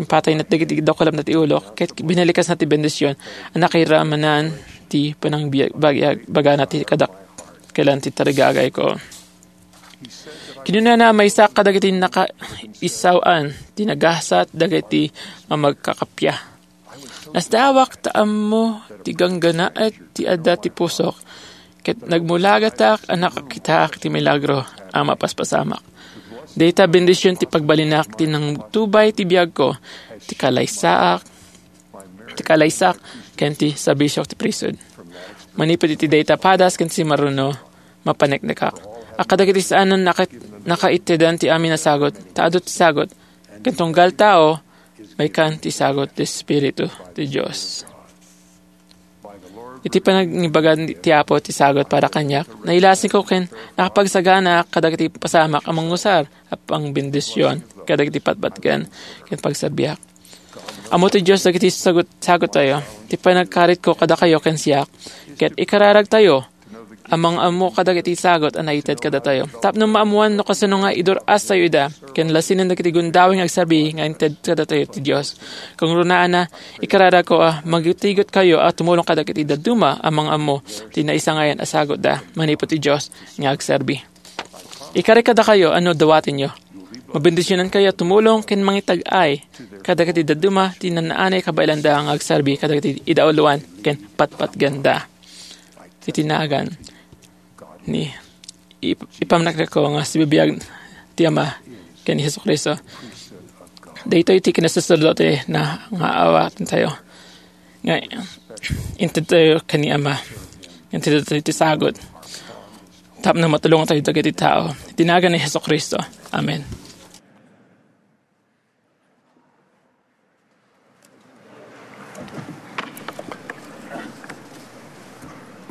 Impatayna dagiti dakulapna ti ulo, ket binalikasna ti bendision a nakairamanan ti panangbagana ti kadakkelan ti tarigagayko. Kinunana a maysaak kadagiti nakaisaw-an ti nagasat dagiti mamagkakappia. Nasdaawak ta ammo ti ganggannaet ti adda ti pusok, ket nagmulagatak a nakakitaak ti milagro a mapaspasamak. Dayta bendision ti pagbalinak ti nangtubay ti biagko, ti kalaysaak, ti kalaysak, ken ti serbisiok ti priesthood. Manipud iti dayta padas ken simaruno, mapaneknekak. A kadagiti saanen naka-, nakaittedan ti amin a sagut, ta adu ti sagut, ken tunggal tao, maikan ti sagut ti Espiritu ti Dios. Iti panangibagan ti Apo ti sagut para kaniak, nailasingko ken nakapagsaganaak kadagiti pasamak a mangusar a pangbendision kadagiti patpatgen ken pagserbiak. Ammo ti Dios dagiti sagut-, saguttayo. Ti panagkaritko kadakayo ken siak, ket ikararagtayo a mangam-ammo kadagiti sagut a naited kadatayo. Tapno maammoan no kasano nga idur-astayo ida, ken lasinen dagiti gundaway nga agserbi nga inted kadatayo ti Dios. Kangrunaanna, ikararagko a magtigot kayo a tumulong kadagiti dadduma a mangam-ammo ti naisangayan a sagutda manipud ti Dios nga agserbi. Ikarik kadakayo a no dawatenyo, mabendisionankayo a tumulong ken mangitag-ay kadagiti dadduma ti naan-anay kabaelanda nga agserbi kadagiti idauloan ken patpatganda. Iti nagan ni ip-, ipamnaknako nga sibibiag ti Ama ken ni Jesu-Cristo. Daytoy ti kinasaserdotena nga awaten tayo. Nga inted tayo ken ni Ama. Inted tayo ti sagut. Tapno matulong tayo dagiti tao. Iti nagan ni Jesu-Cristo. Amen.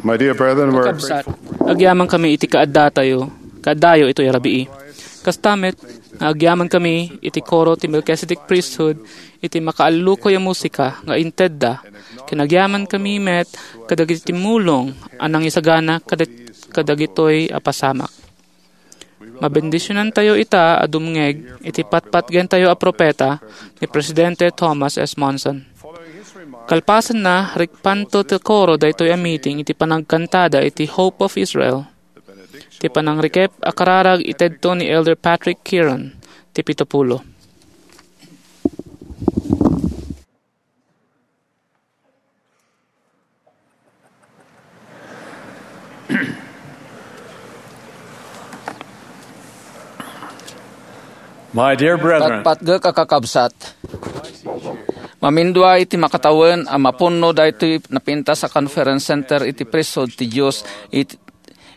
My dear brethren, we're Kakabsat, agyaman kami iti kaaddatayo, kaaddayo itoy a rabii. Kasta met, nga agyaman kami iti koro ti Melchizedek Priesthood iti makaallukoy a musika nga intedda, ken agyaman kami met kadagiti mulong a nangisagana kadag-, kadagitoy a pasamak. Mabendisionantayo ita a dumngeg iti patpatgentayo a propeta ni Presidente Thomas S. Monson. Kalpasanna, rikpanto ti koro daytoy a meeting iti panagkantada iti Hope of Israel, ti panangrikep a kararag itedto ni Elder Patrick Kieran, ti pito pulo. My dear brethren, Patpatgek a kakabsat, mamindua iti makatawen a mapunno daytoy napintas a conference center iti priesthood ti Dios it-,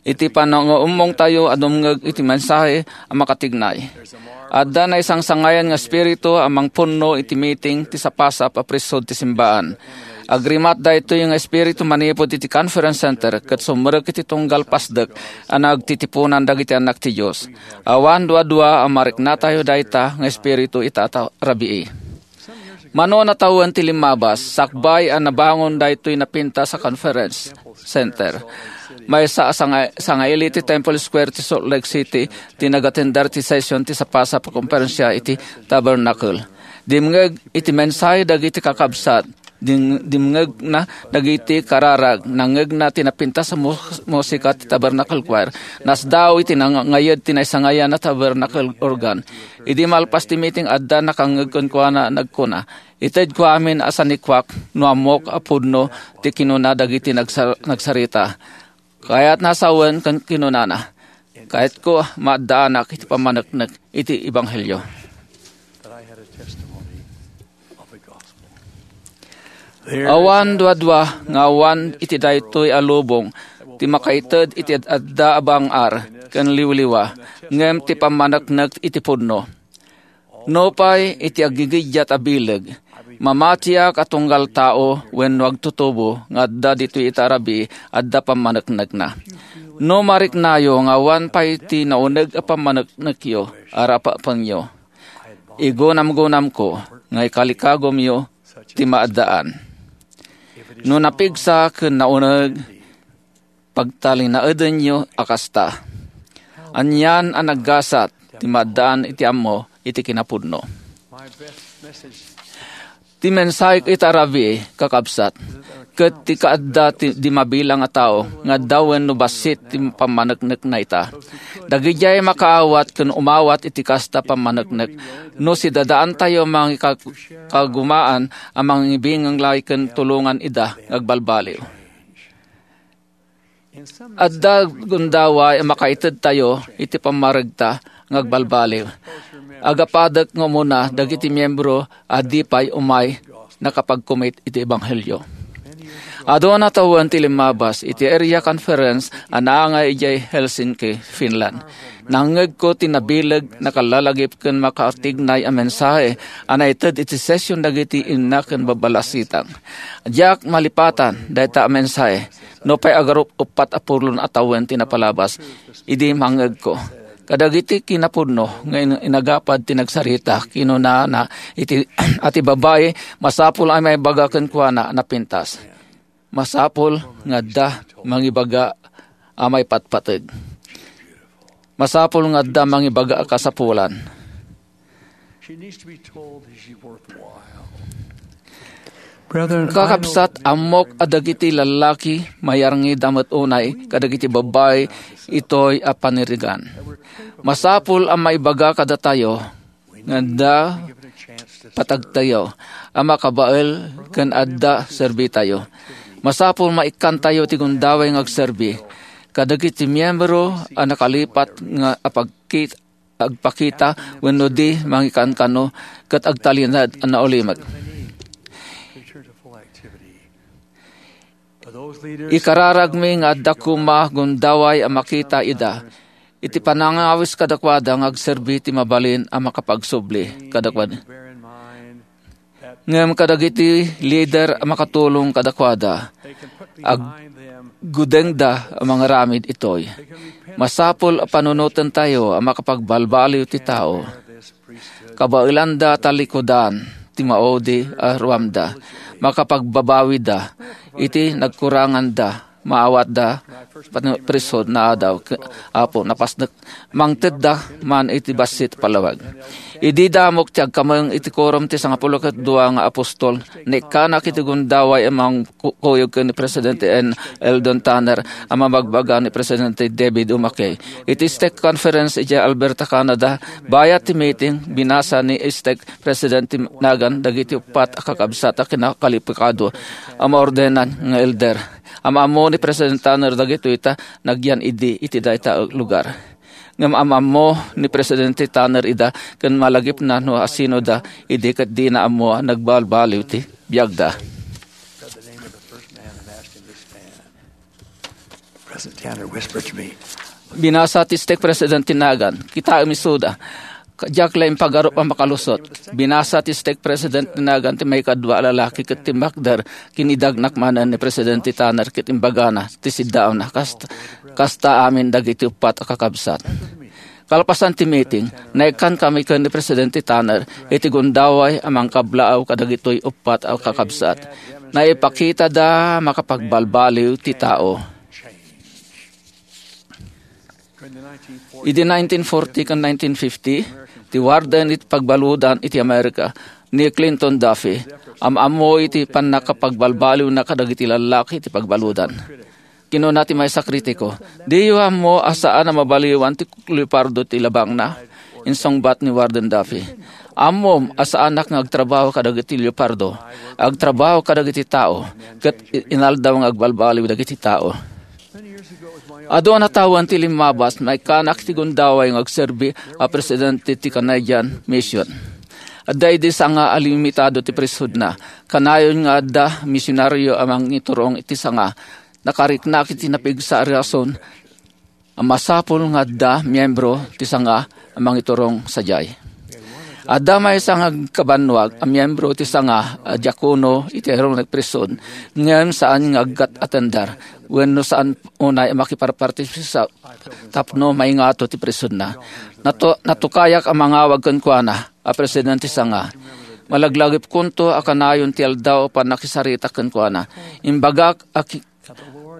iti panangummongtayo a dumngeg iti mensahe a makatignay. Adda naisangsangayan nga espiritu a mangpunno iti meeting ti sapasap a priesthood ti simbaan. Agrimat daytoy nga espiritu manipud iti Conference Center ket sumrek iti tunggal pasdek a nagtitipunan dagiti annak ti Dios. Awan dua-dua a mariknatayo dayta nga espiritu ita a rabii. Mano a tawen ti limmabas, sakbay a nabangon daytoy napintas a conference center. Maysa a sanga-, sangaili ti Temple Square ti Salt Lake City ti nagatender ti session ti sapasap a komperensia iti Tabernacle. Dimngeg iti mensahe dagiti kakabsat, ding-, dimngegna dagiti kararag, nangngegna ti napintas a mus-, musika ti Tabernacle Choir, nasdaaw iti nangayed ti naisangayan a Tabernacle organ. Idi malpas ti meeting, adda nakangngeg kenkuana, nagkuna, "Itedko amin a sanikuak no ammok a pudno ti kinuna dagiti nagsa-, nagsarita." Kayatna a sawen ken kinunana, "Kayatko maaddaanak iti pammaneknek iti ebanghelio." Awan duadua nga awan iti daytoy a lubong ti makaited iti ad-adda a bang-ar ken liwliwa, ngem ti pammaneknek iti pudno. Nupay iti aggigiddiat a bileg, mamatiak a tunggal tao wenno agtutubo nga adda ditoy ita a rabii, adda pammaneknekna. No mariknayo nga awan pay ti nauneg a pammaneknekyo, arapapenyo. Igunamgunamko nga ikalikagumyo ti maaddaan. No napigsa ken nauneg, pagtalinaedenyo a kasta. Anian a naggasat ti maaddaan iti ammo iti kinapudno. Ti mensahek ita a rabii, kakabsat, ket ti kaadda ti, di mabilang a tao nga adda wenno bassit ti pammaneknekna ita. Dagidiay makaawat ken umawat iti kasta pammaneknek, no sidadaantayo mangika-, kagumaan a mangibingang lay ken tulongan ida nga agbalbaliw. Adda gundaway a makaitedtayo iti pammaregta nga agbalbaliw. Agapadek nga umuna dagiti miyembro a di pay umay nakapagkumit iti ebanghelio. Adu a tawen ti limmabas iti area conference a naangay idiay Helsinki, Finland. Nangngegko ti nabileg, nakalalagip ken makaatignay a mensahe a naited iti session dagiti inna ken babbalasitang. Diak malipatan dayta a mensahe, nupay agarup-, uppat a pulon a tawen ti napalabas idi mangngegko. Kadagiti kinapudno nga in-, inagapad ti nagsarita, kinunana iti, a ti babai, masapul a maibaga kenkuana a napintas. Masapul nga adda mangibaga a maipatpateg. Masapul nga adda mangibaga a kasapulan. She needs to be told that she's worthwhile. Brethren, I know Kakabsat, ammok a dagiti lallaki mayarngida met unay kadagiti babbai itoy a panirigan. Masapul a maibaga kadatayo nga adda patagtayo a makabael ken adda serbitayo. Masapul maikkantayo ti gundaway nga agserbi kadagiti miyembro a nakalipat nga apagkit-, agpakita wenno di mangikankano ket agtalinaed a naulimek. Ikararagmi nga adda koma gundaway a makita ida iti panangawis kadakuada nga agserbi ti mabalin a makapagsubli kadakuada. Ngem kadagiti lider a makatulong kadakuada, aggudengda a mangaramid itoy. Masapul a panunotentayo a makapagbalbaliw ti tao. Kabaelanda a talikudan ti maudi a ruamda. Makapagbabawida iti nagkuranganda. Maawatda pano-, priesthood na adaw, ke-, Apo, napasnek, mangtedda man iti bassit a palawag. Idi damok ti agkameng iti Quorum ti Sangapulo ket Dua nga Apostol, naikkanak iti gundaway a mangkuyog ken ni Presidente N. Eldon Tanner a mabagbaga ni Presidente David O. McKay. Iti stake conference iti Alberta, Canada, bayat ti meeting, binasa ni stake Presidente Nugent dagiti uppat a kakabsat a kinakalipikado a maordenan nga elder. Am-ammo ni Presidente Tanner dagitoy ta nagyan idi iti dayta a lugar. Ngem am-ammo ni Presidente Tanner ida ken malagipna no asinoda idi ket dina ammo a nagbalbaliw ti biagda. Cousin Tanner whispered to me, "Binasa ti stake president ti nagan. Kitaem isuda. Ka-, diak la impagarup a makalusot." Binasa ti stake president ti nagan ti maikadua a lalaki ket timmakder. Kinidagnak manen ni Presidente Tanner ket imbagana ti siddaawna. Kasta, kasta amin dagiti uppat a kakabsat. Kalpasan ti meeting, naikkan kami ken ni Presidente Tanner iti gundaway a mangkablaaw kadagitoy uppat a kakabsat. Naipakitada makapagbalbaliw ti tao. Idi nineteen forty ken nineteen fifty, ti warden iti pagbaludan iti Amerika ni Clinton Duffy, am-ammo iti pannakapagbalbaliwna kadagiti lallaki iti pagbaludan. Kinuna ti maysa a kritiko, "Diyo ammo a saan a mabaliwan ti leopardo ti labangna?" Insungbat ni Warden Duffy, "Ammom a saanak nga agtrabaho kadagiti leopardo. Agtrabaho kadagiti tao, ket i-, inaldaw nga agbalbaliw dagiti tao." Adu a natawen ti limmabas, naikkanak iti gundaway nga agserbi a presidente ti Canadian Mission. Adda idi sanga a limitado ti priesthoodna, kanayon nga adda misionaryo a mangiturong iti sanga. Nakariknak iti napigsa a rason a masapul nga adda miyembro ti sanga a mangiturong sadiay. Adda maysa nga agkabannuag a miyembro ti sanga a diakono iti Aaronic Priesthood, ngem saan nga aggat-atender wenno saan unay a makiparpartisipar tapno maingato ti priesthoodna. Nato-, natukayak a mangawag kenkuana a presidente ti sanga. Malaglagipkonto a kanayon ti aldaw a pannakisaritak kenkuana. Imbagak a ki-,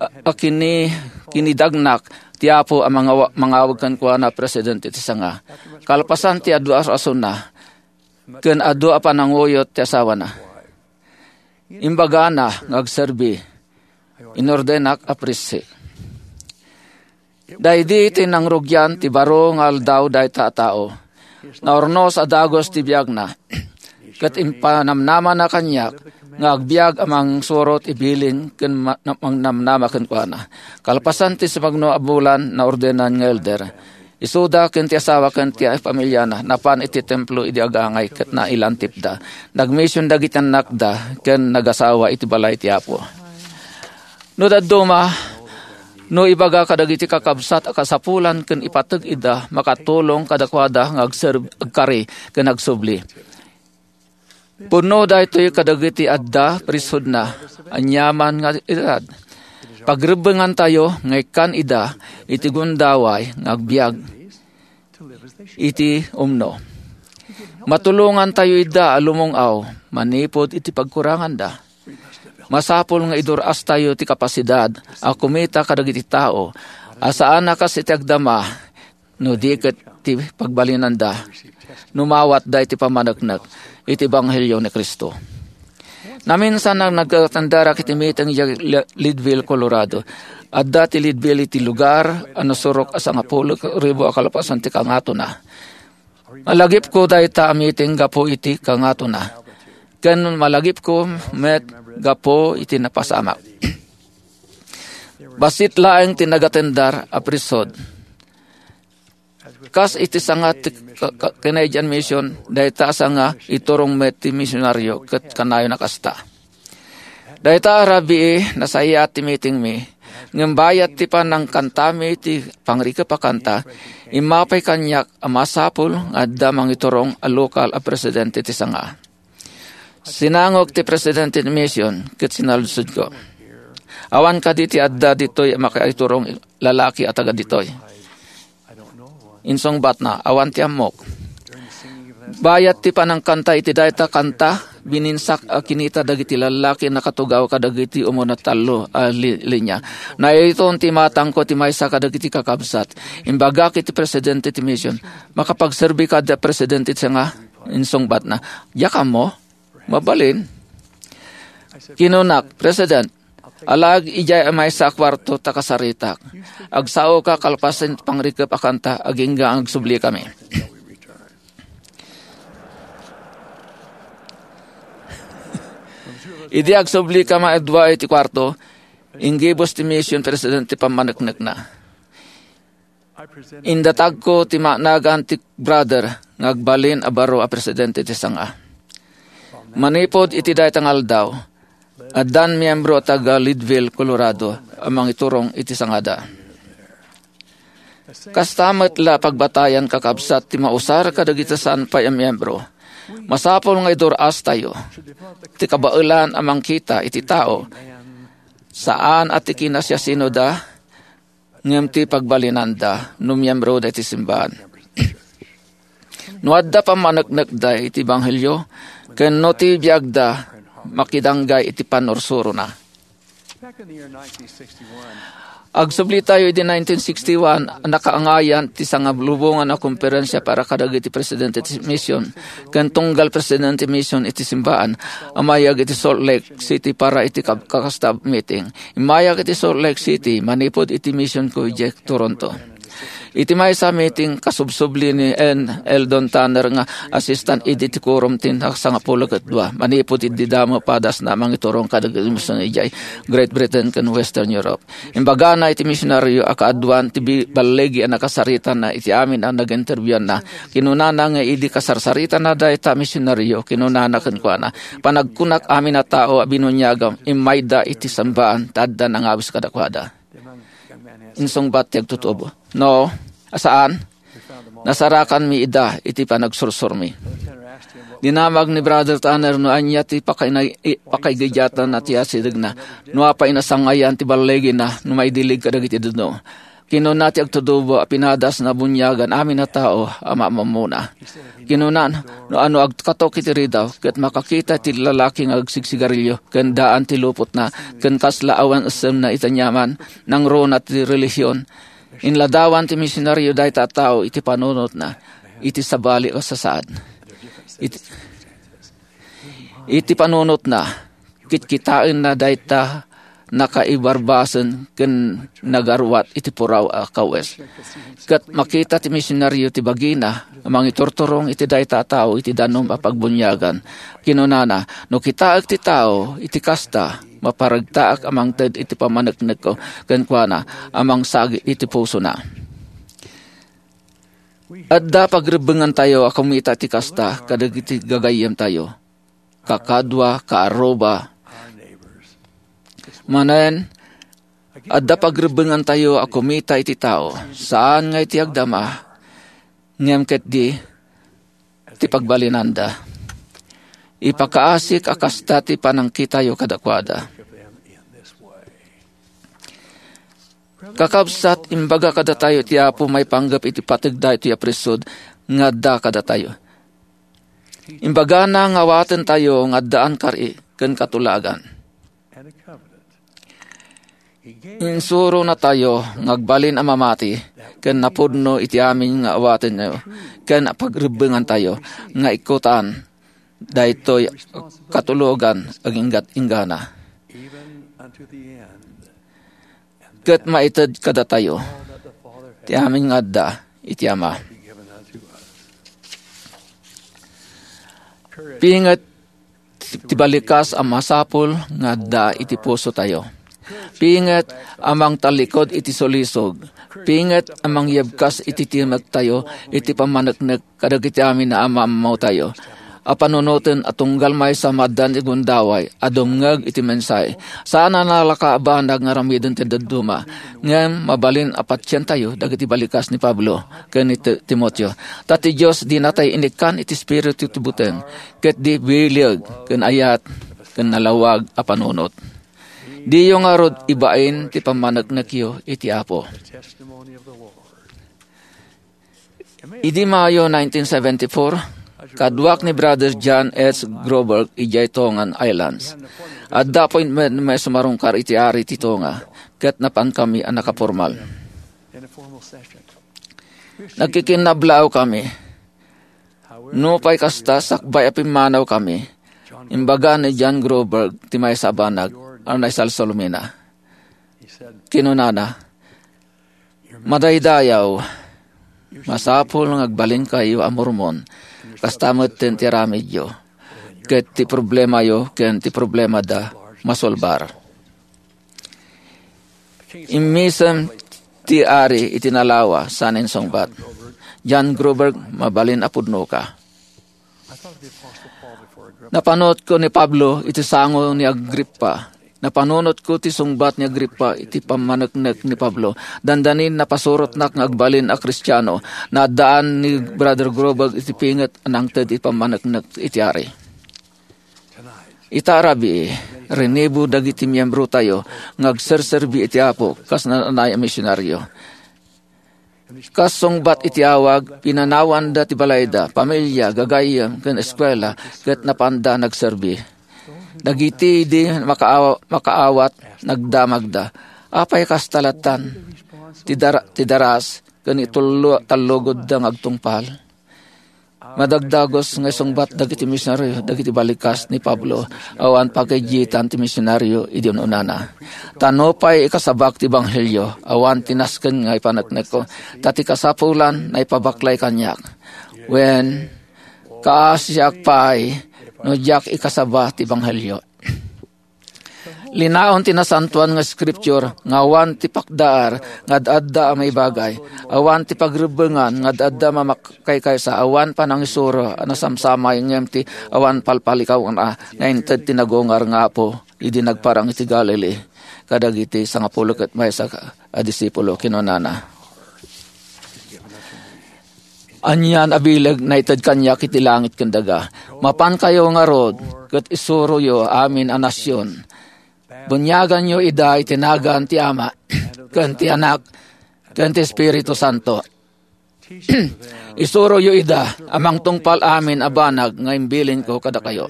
a, a kini-, kinidagnak ti Apo a mangawa-, mangawag kenkuana a presidente ti sanga. Kalpasan ti adu a rasonna, ken adu a pananguyot ti asawana. Imbagana nga agserbi, inordenak a priest. Daydi ti nangrugian ti baro nga aldaw dayta a tao. Naurnos a dagus ti biagna, ket impanamnamana kaniak nga agbiag a mangsurot ibilin ken ma-, na-, mangnamnama kenkuana. Kalpasan ti sumagno a bulan, naordenan nga elder. Isuda ken ti asawa ken ti pamiliana napan iti templo idi agangay ket nailantipda. Nagmision dagiti annakda ken nagasawa iti balay ti Apo. No dadduma, no ibaga kadagiti kakabsat a kasapulan ken ipateg ida, makatulong kadakuada nga agserb-, agkari ken agsubli. Pudno daytoy kadagiti adda priesthoodna, aniaman nga edad. Pagrebbengantayo nga ikkan ida iti gundaway nga agbiag iti umno. Matulongantayo ida a lumung-aw manipud iti pagkuranganda. Masapul nga idur-astayo ti kapasidad a kumita kadagiti tao a saan a kas iti agdama no di ket ti pagbalinanda no mawatda iti pammaneknek iti ebanghelio ni Cristo. Naminsan nga nagatenderak iti meeting idiay Le-, Leadville, Colorado. Adda ti Leadville iti lugar a nasurok a sangapulo ribu a kalpasan ti kangatona. Malagipko dayta a meeting gapu iti kangatona, ken malagipko met gapu iti napasamak. Bassit laeng ti nagatendar a priesthood. Kas iti sanga ti ka-, ka-, Canadian Mission, dayta a sanga iturong met ti misionaryo ket kanayon a kasta. Dayta a rabii, nasayaat ti meetingmi, ngem bayat ti panangkantami ti pangrikep a kanta, immapay kaniak a masapul nga adda mangiturong a lokal a presidente ti sanga. Sinangok ti presidente ti mission ket sinaludsodko, "Awan kadi ti adda ditoy a makaiturong lalaki a taga ditoy?" Insungbatna, "Awan ti ammok." Bayat ti panangkanta iti dayta kanta, bininsak a kinita dagiti lallaki a nakatugaw kadagiti umuna tallo a li-, linya. Naiton ti imatangko ti maysa kadagiti kakabsat. Imbagak iti presidente ti mission, "Makapagserbi kadi a presidente ti sanga?" Insungbatna, "Diak ammo." "Mabalin," kinunak, "President, alaek idiay maysa a kuarto ta kasaritak. Agsaoka kalpasan ti pangrikep a kanta, agingga nga agsublikami." Idi agsublikami a dua iti kuarto, inggibus ti mission president ti pammaneknekna. Indatagko ti nagan ti brother nga agbalin a baro a presidente ti sanga. Manipud iti dayta nga aldaw, Addan miyembro a taga Leadville, Colorado, a mangiturong iti sangada. Kasta met la pagbatayan, kakabsat, ti mausar kadagiti saan pay a miyembro. Masapul nga idur-astayo ti kabaelan a mangkita iti tao, saan a ti kinasiasinoda, ngem ti pagbalinanda no miyembro da iti simbahan. No adda pammaneknekda iti ebanghelio, ken no ti biagda makidanggay iti pannursurona. Agsubli tayo idi nineteen sixty-one, nakaangayan ti sangalubongan a konferensia para kadagiti presidente ti mission ken tunggal presidente ti mission iti simbaan a mayag iti Salt Lake City para iti kab-, kakasta meeting. Immayak iti Salt Lake City manipud iti mission ko idiay Toronto. Iti maysa a meeting, kasubsubli ni N. Eldon Tanner nga assistant idi ti quorum ti sangapulo ket dua, manipud idi damo padasna a mangiturong kadagiti mision idiay Great Britain ken Western Europe. Imbagana iti misionario a kaaduan ti bi-, balligi a nakasaritana iti amin a naginterbiuanna. Kinunana nga idi kasarsaritana dayta misionario, kinunana kenkuana, "Panagkunak amin a tao a binuniagam, immayda iti sambaan, ta adda nangawis kadakuada." Insungbat ti agtutubo, "No, a saan? Nasarakanmi ida iti panagsursurmi." Dinamag ni Brother Tanner no ania ti pakaina-, i-, pakaigidiatna ti asidegna, no apay nasangayan ti balligina no maidilig kadagiti dedduma. Kinuna ti agtutubo a pinadasna a buniagan amin a tao a mamamuna. Kinuna, no ania agkatok iti ridaw, ket makakita ti lalaki nga agsigsigarilio, ken daan ti lupotna, ken kasla awan essemna iti aniaman, nangruna ti relihion. Inladawan ti misionario dayta a tao iti panunotna, iti sabali a sasaad. Iti, iti panunotna, kitkitaenna dayta nakaibarbasen ken nagaruat iti puraw a kawes. Ket makita ti misionario ti bagina a mangiturturong iti dayta a tao iti danum a pagbuniagan. Kinunana, "No kitaek ti tao iti kasta, maparagtaak a mangted iti pammaneknekko kenkuana a mangsagid iti pusona." Adda pagrebbengantayo a kumita ti kasta kadagiti gagayyemtayo, kakadua, kaarruba. Manen, adda pagrebbengantayo a kumita iti tao, saan nga iti agdama, ngem ketdi ti pagbalinanda. Ipakaasik a kasta ti panangkitayo kadakuada. Kakabsat, imbaga kadatayo ti Apo maipanggep iti pateg daytoy a priesthood nga adda kadatayo. Imbagana nga awatentayo nga addaan kari ken katulagan. Insuronatayo nga agbalin a mamati ken napudno iti amin nga awatenyo ken pagrebbengantayo nga ikkutan daytoy katulogan aginggat-inggana. Ket maited kadatayo ti amin nga adda iti Ama. Pinget ti balikas a masapul nga adda iti pusotayo. Pinget a mangtallikud iti sulisog. Pinget a mangyebkas iti timektayo iti pammaneknek kadagiti amin a ammoammotayo a panunoten a tunggal maysa maaddan ti gundaway a dumngeg iti mensahe. Saan a nalaka a banag nga aramiden ti dadduma, ngem mabalin a patientayo dagiti balikas ni Pablo ken ni Ti-, Timoteo. Ta ti Dios dinatay inikkan iti espiritu ti buteng, ket di bileg ken ayat ken nalawag a panunot. Diyo ngarud ibain ti pammaneknekyo iti Apo. Idi Mayo nineteen seventy-four, kaduak ni Brother John H. Groberg idiay Tongan Islands. Adda appointment nga sumarungkar iti ari ti Tonga, ket napankami a nakapormal. Nagkikinnablaaw kami. Nupay kasta, sakbay a pimmanaw kami, imbaga ni John Groberg ti maysa a banag a naisalsalumina. Kinunana, "Madaydayaw, masapul nga agbalinkayo a Mormon, kasta metten ti aramidyo, ket ti problemayo ken ti problemada masolbar." Immisem ti ari iti nalawa, saan insungbat, "John Groberg, mabalin a pudnoka." Napanunotko ni Pablo iti sango ni Agripa. Napanunotko ti sungbat ni Agripa iti pammaneknek ni Pablo. Dandanin napasurotnak nga agbalin a Kristiano. Naaddaan ni Brother Groberg iti pinget a nangted iti pammaneknek iti ari. Ita a rabii, rinibu dagiti miembrotayo nga agserserbi iti Apo kas naan-anay a misionario. Kas sungbat iti awag, pinanawanda ti balayda, pamilia, gagayyem, ken eskuela, ket napanda nagserbi. Dagiti idi makaaw-, makaawat, nagdamagda. Apay kasta lattan? Ti dara-, ti daras, ken itullo-, tallogodda nga agtungpal. Madagdagos nga isungbat dagiti misionario dagiti balikas ni Pablo, awan pagaygitan ti misionario idi un-unana. Ta nupay ikasabak ti ebanghelio, awan ti nasken nga ipaneknekko, ta ti kasapulan naipabaklay kaniak. Wen, kaasiak pay no diak ikasaba ti ebanghelio. Linaon ti Nasantoan nga Scripture nga awan ti pakdaar nga ad-adda a maibagay, awan ti pagrebbengan nga ad-adda a makaykaysa, awan panangisuro a nasamsamay ngem ti awan palpalikawna nga inted ti nagungar nga Apo idi nagparang iti Galilee kadagiti sangapulo ket maysa a disipulo. Kinunana, "Anian a bileg naited kaniak iti langit ken daga. Mapankayo ngarud ket isuroyo amin a nasion. Buniaganyo ida iti nagan ti Ama, ken ti Anak, ken ti Espiritu Santo. Isuroyo ida a mangtungpal amin a banag nga imbilinko kadakayo."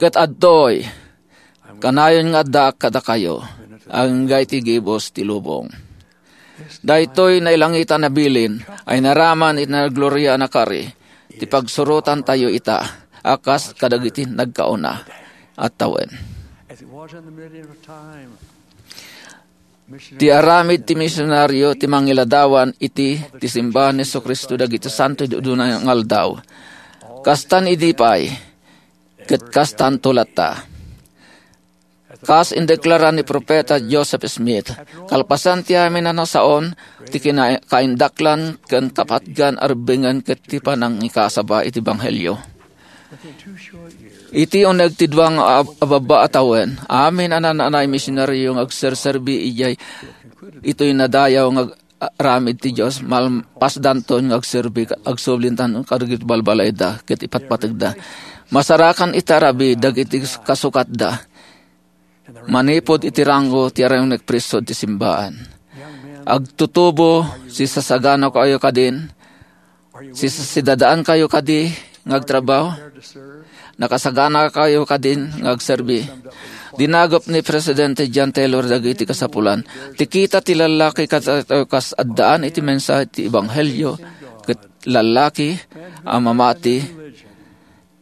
Ket adtoy, kanayon nga addaak kadakayo, agingga iti gibus ti lubong. Daytoy nailangitan a bilin a inaraman iti nagloria a nakari, ti pagsurotantayo ita a kas kadagiti nagkauna a tawen. Ti aramid ti misionario ti mangiladawan iti ti simbahan ni Jesu-Cristo dagiti santo idi uduna nga aldaw. Kastan idi pay, ket kastanto latta. Kas indeklara ni Profeta Joseph Smith, kalpasan ti amin a nasaon, ti kina-, kaindaklan ken kapatgan a rebbengen ket ti panangikasaba iti ebanghelio. Iti uneg ti dua nga ab-, a babba a tawen, amin a naan-anay misionario nga agserserbi idiay itoy nadayaw nga ag-, aramid ti Dios, malpasdanton nga agserbi, agsublintan kadagiti balbalayda ket ipatpategda. Masarakan iti arabi dagiti kasukatda manipud iti rango ti aramid nga presyo ti simbaan. Agtutubo, sisasaganakayo kadin, Sisasidaankayo kadi nga agtrabaho? Nakasaganakayo kadin nga agserbi? Dinagop ni Presidente John Taylor dagiti kasapulan. Ti kita ti lallaki kat-, kas addaan iti mensahe ti ebanghelio, ket lallaki a mamati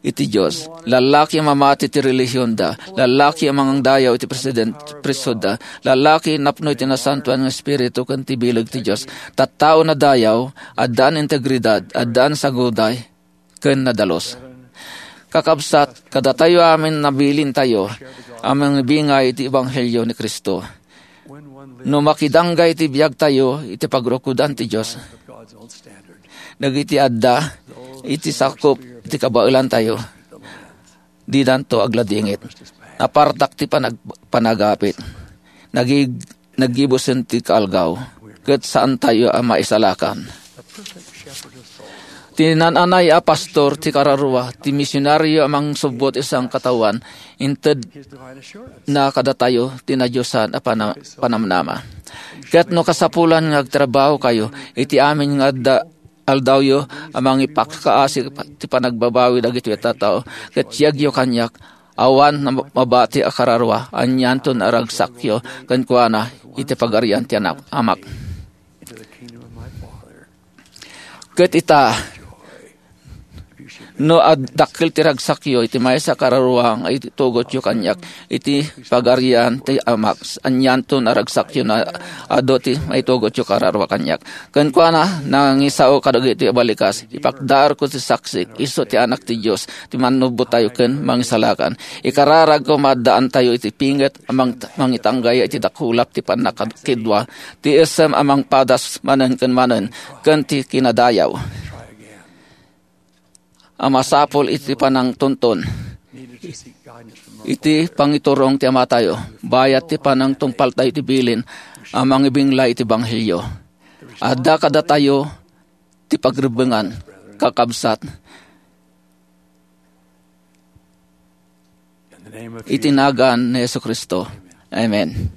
iti Dios. Lallaki a mamati ti relihionda. Lallaki a mangdayaw iti president, priesthoodda. Lallaki napno iti nasantoan nga Espiritu ken ti bileg ti Dios. Tattao nadayaw, addaan integridad, addaan saguday, ken nadalus. Kakabsat, kadatayo amin nabilintayo a mangibingay iti ebanghelio ni Cristo. No makidanggay ti biagtayo iti pagrukodan ti Dios, dagiti adda iti sakup ti kabaelantayo, didanto agladingit. Napartak ti panag-, panagapit. Nagig-, naggibusen ti kaalgaw, ket saantayo a maisalakan. Ti naan-anay a pastor ti kararua, ti misionario a mangsubbot iti sangkataoan, inted na kadatayo ti nadiosan a pana-, panamnama. Ket no kasapulan nga agtrabahokayo iti amin nga adda, aldawyo a mangipakaasi ti panagbabawi dagitoy a tattao, ket siagyo kaniak, awan na mabati a kararua, anianto a ragsakyo kenkuana iti pagarian ti anak-, amak. Ket ita, no ad-, dakkel ti ragsakyo iti maysa a kararua nga itugotyo kaniak iti pagarian ti Amak, anianto a ragsakyo nga adu ti maitugotyo kararua kaniak. Kenkuana, nangisao kadagiti balikas, ipakdaarko ti saksik, isu ti Anak ti Dios, ti mannubbotayo ken mangisalakan. Ikararagko, maaddaantayo iti pinget a mang-, mangitanggay iti dakulap ti pannakadkidua, ti isem a mangpadas manen ken manen, ken ti kinadayaw. a masapul iti panangtuntun iti pangiturong ti Amatayo, bayat ti panangtungpaltayo iti bilin a mangibinglay iti Ebanghelio. Adda kadatayo ti pagrebbengan, kakabsat, iti nagan ni Jesu-Cristo. Amen.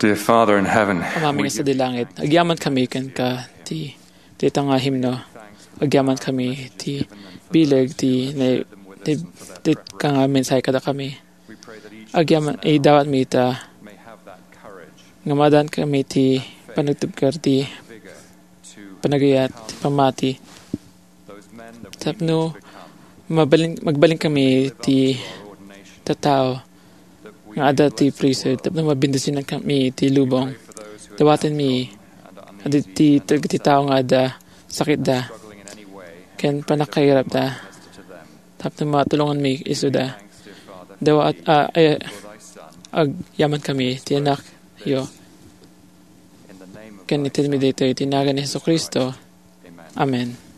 Dear Father in heaven, Ama mi nga sadi langit, agyaman kami kenka ti, ti ita nga himno. Agyaman kami ti bileg ti, ne, ti, ti ka nga mensahe kada kami. Agyaman, idawat mi ita nga maadan kami ti panagtugkad ti panagayat, ti pammati. Tapno Mabalin, magbalin kami ti tattao nga adda ti priesthood tapno mabendisinan kami ti lubong. Dawaten mi adi ti, ti, ti tao nga adda sakitda ken pannakairapda tapno matulongan mi isuda. Dawa at, ah, ay, agyaman kami ti anakyo. Ken itedmi daytoy ti nagan ni Jesu-Cristo. Amen.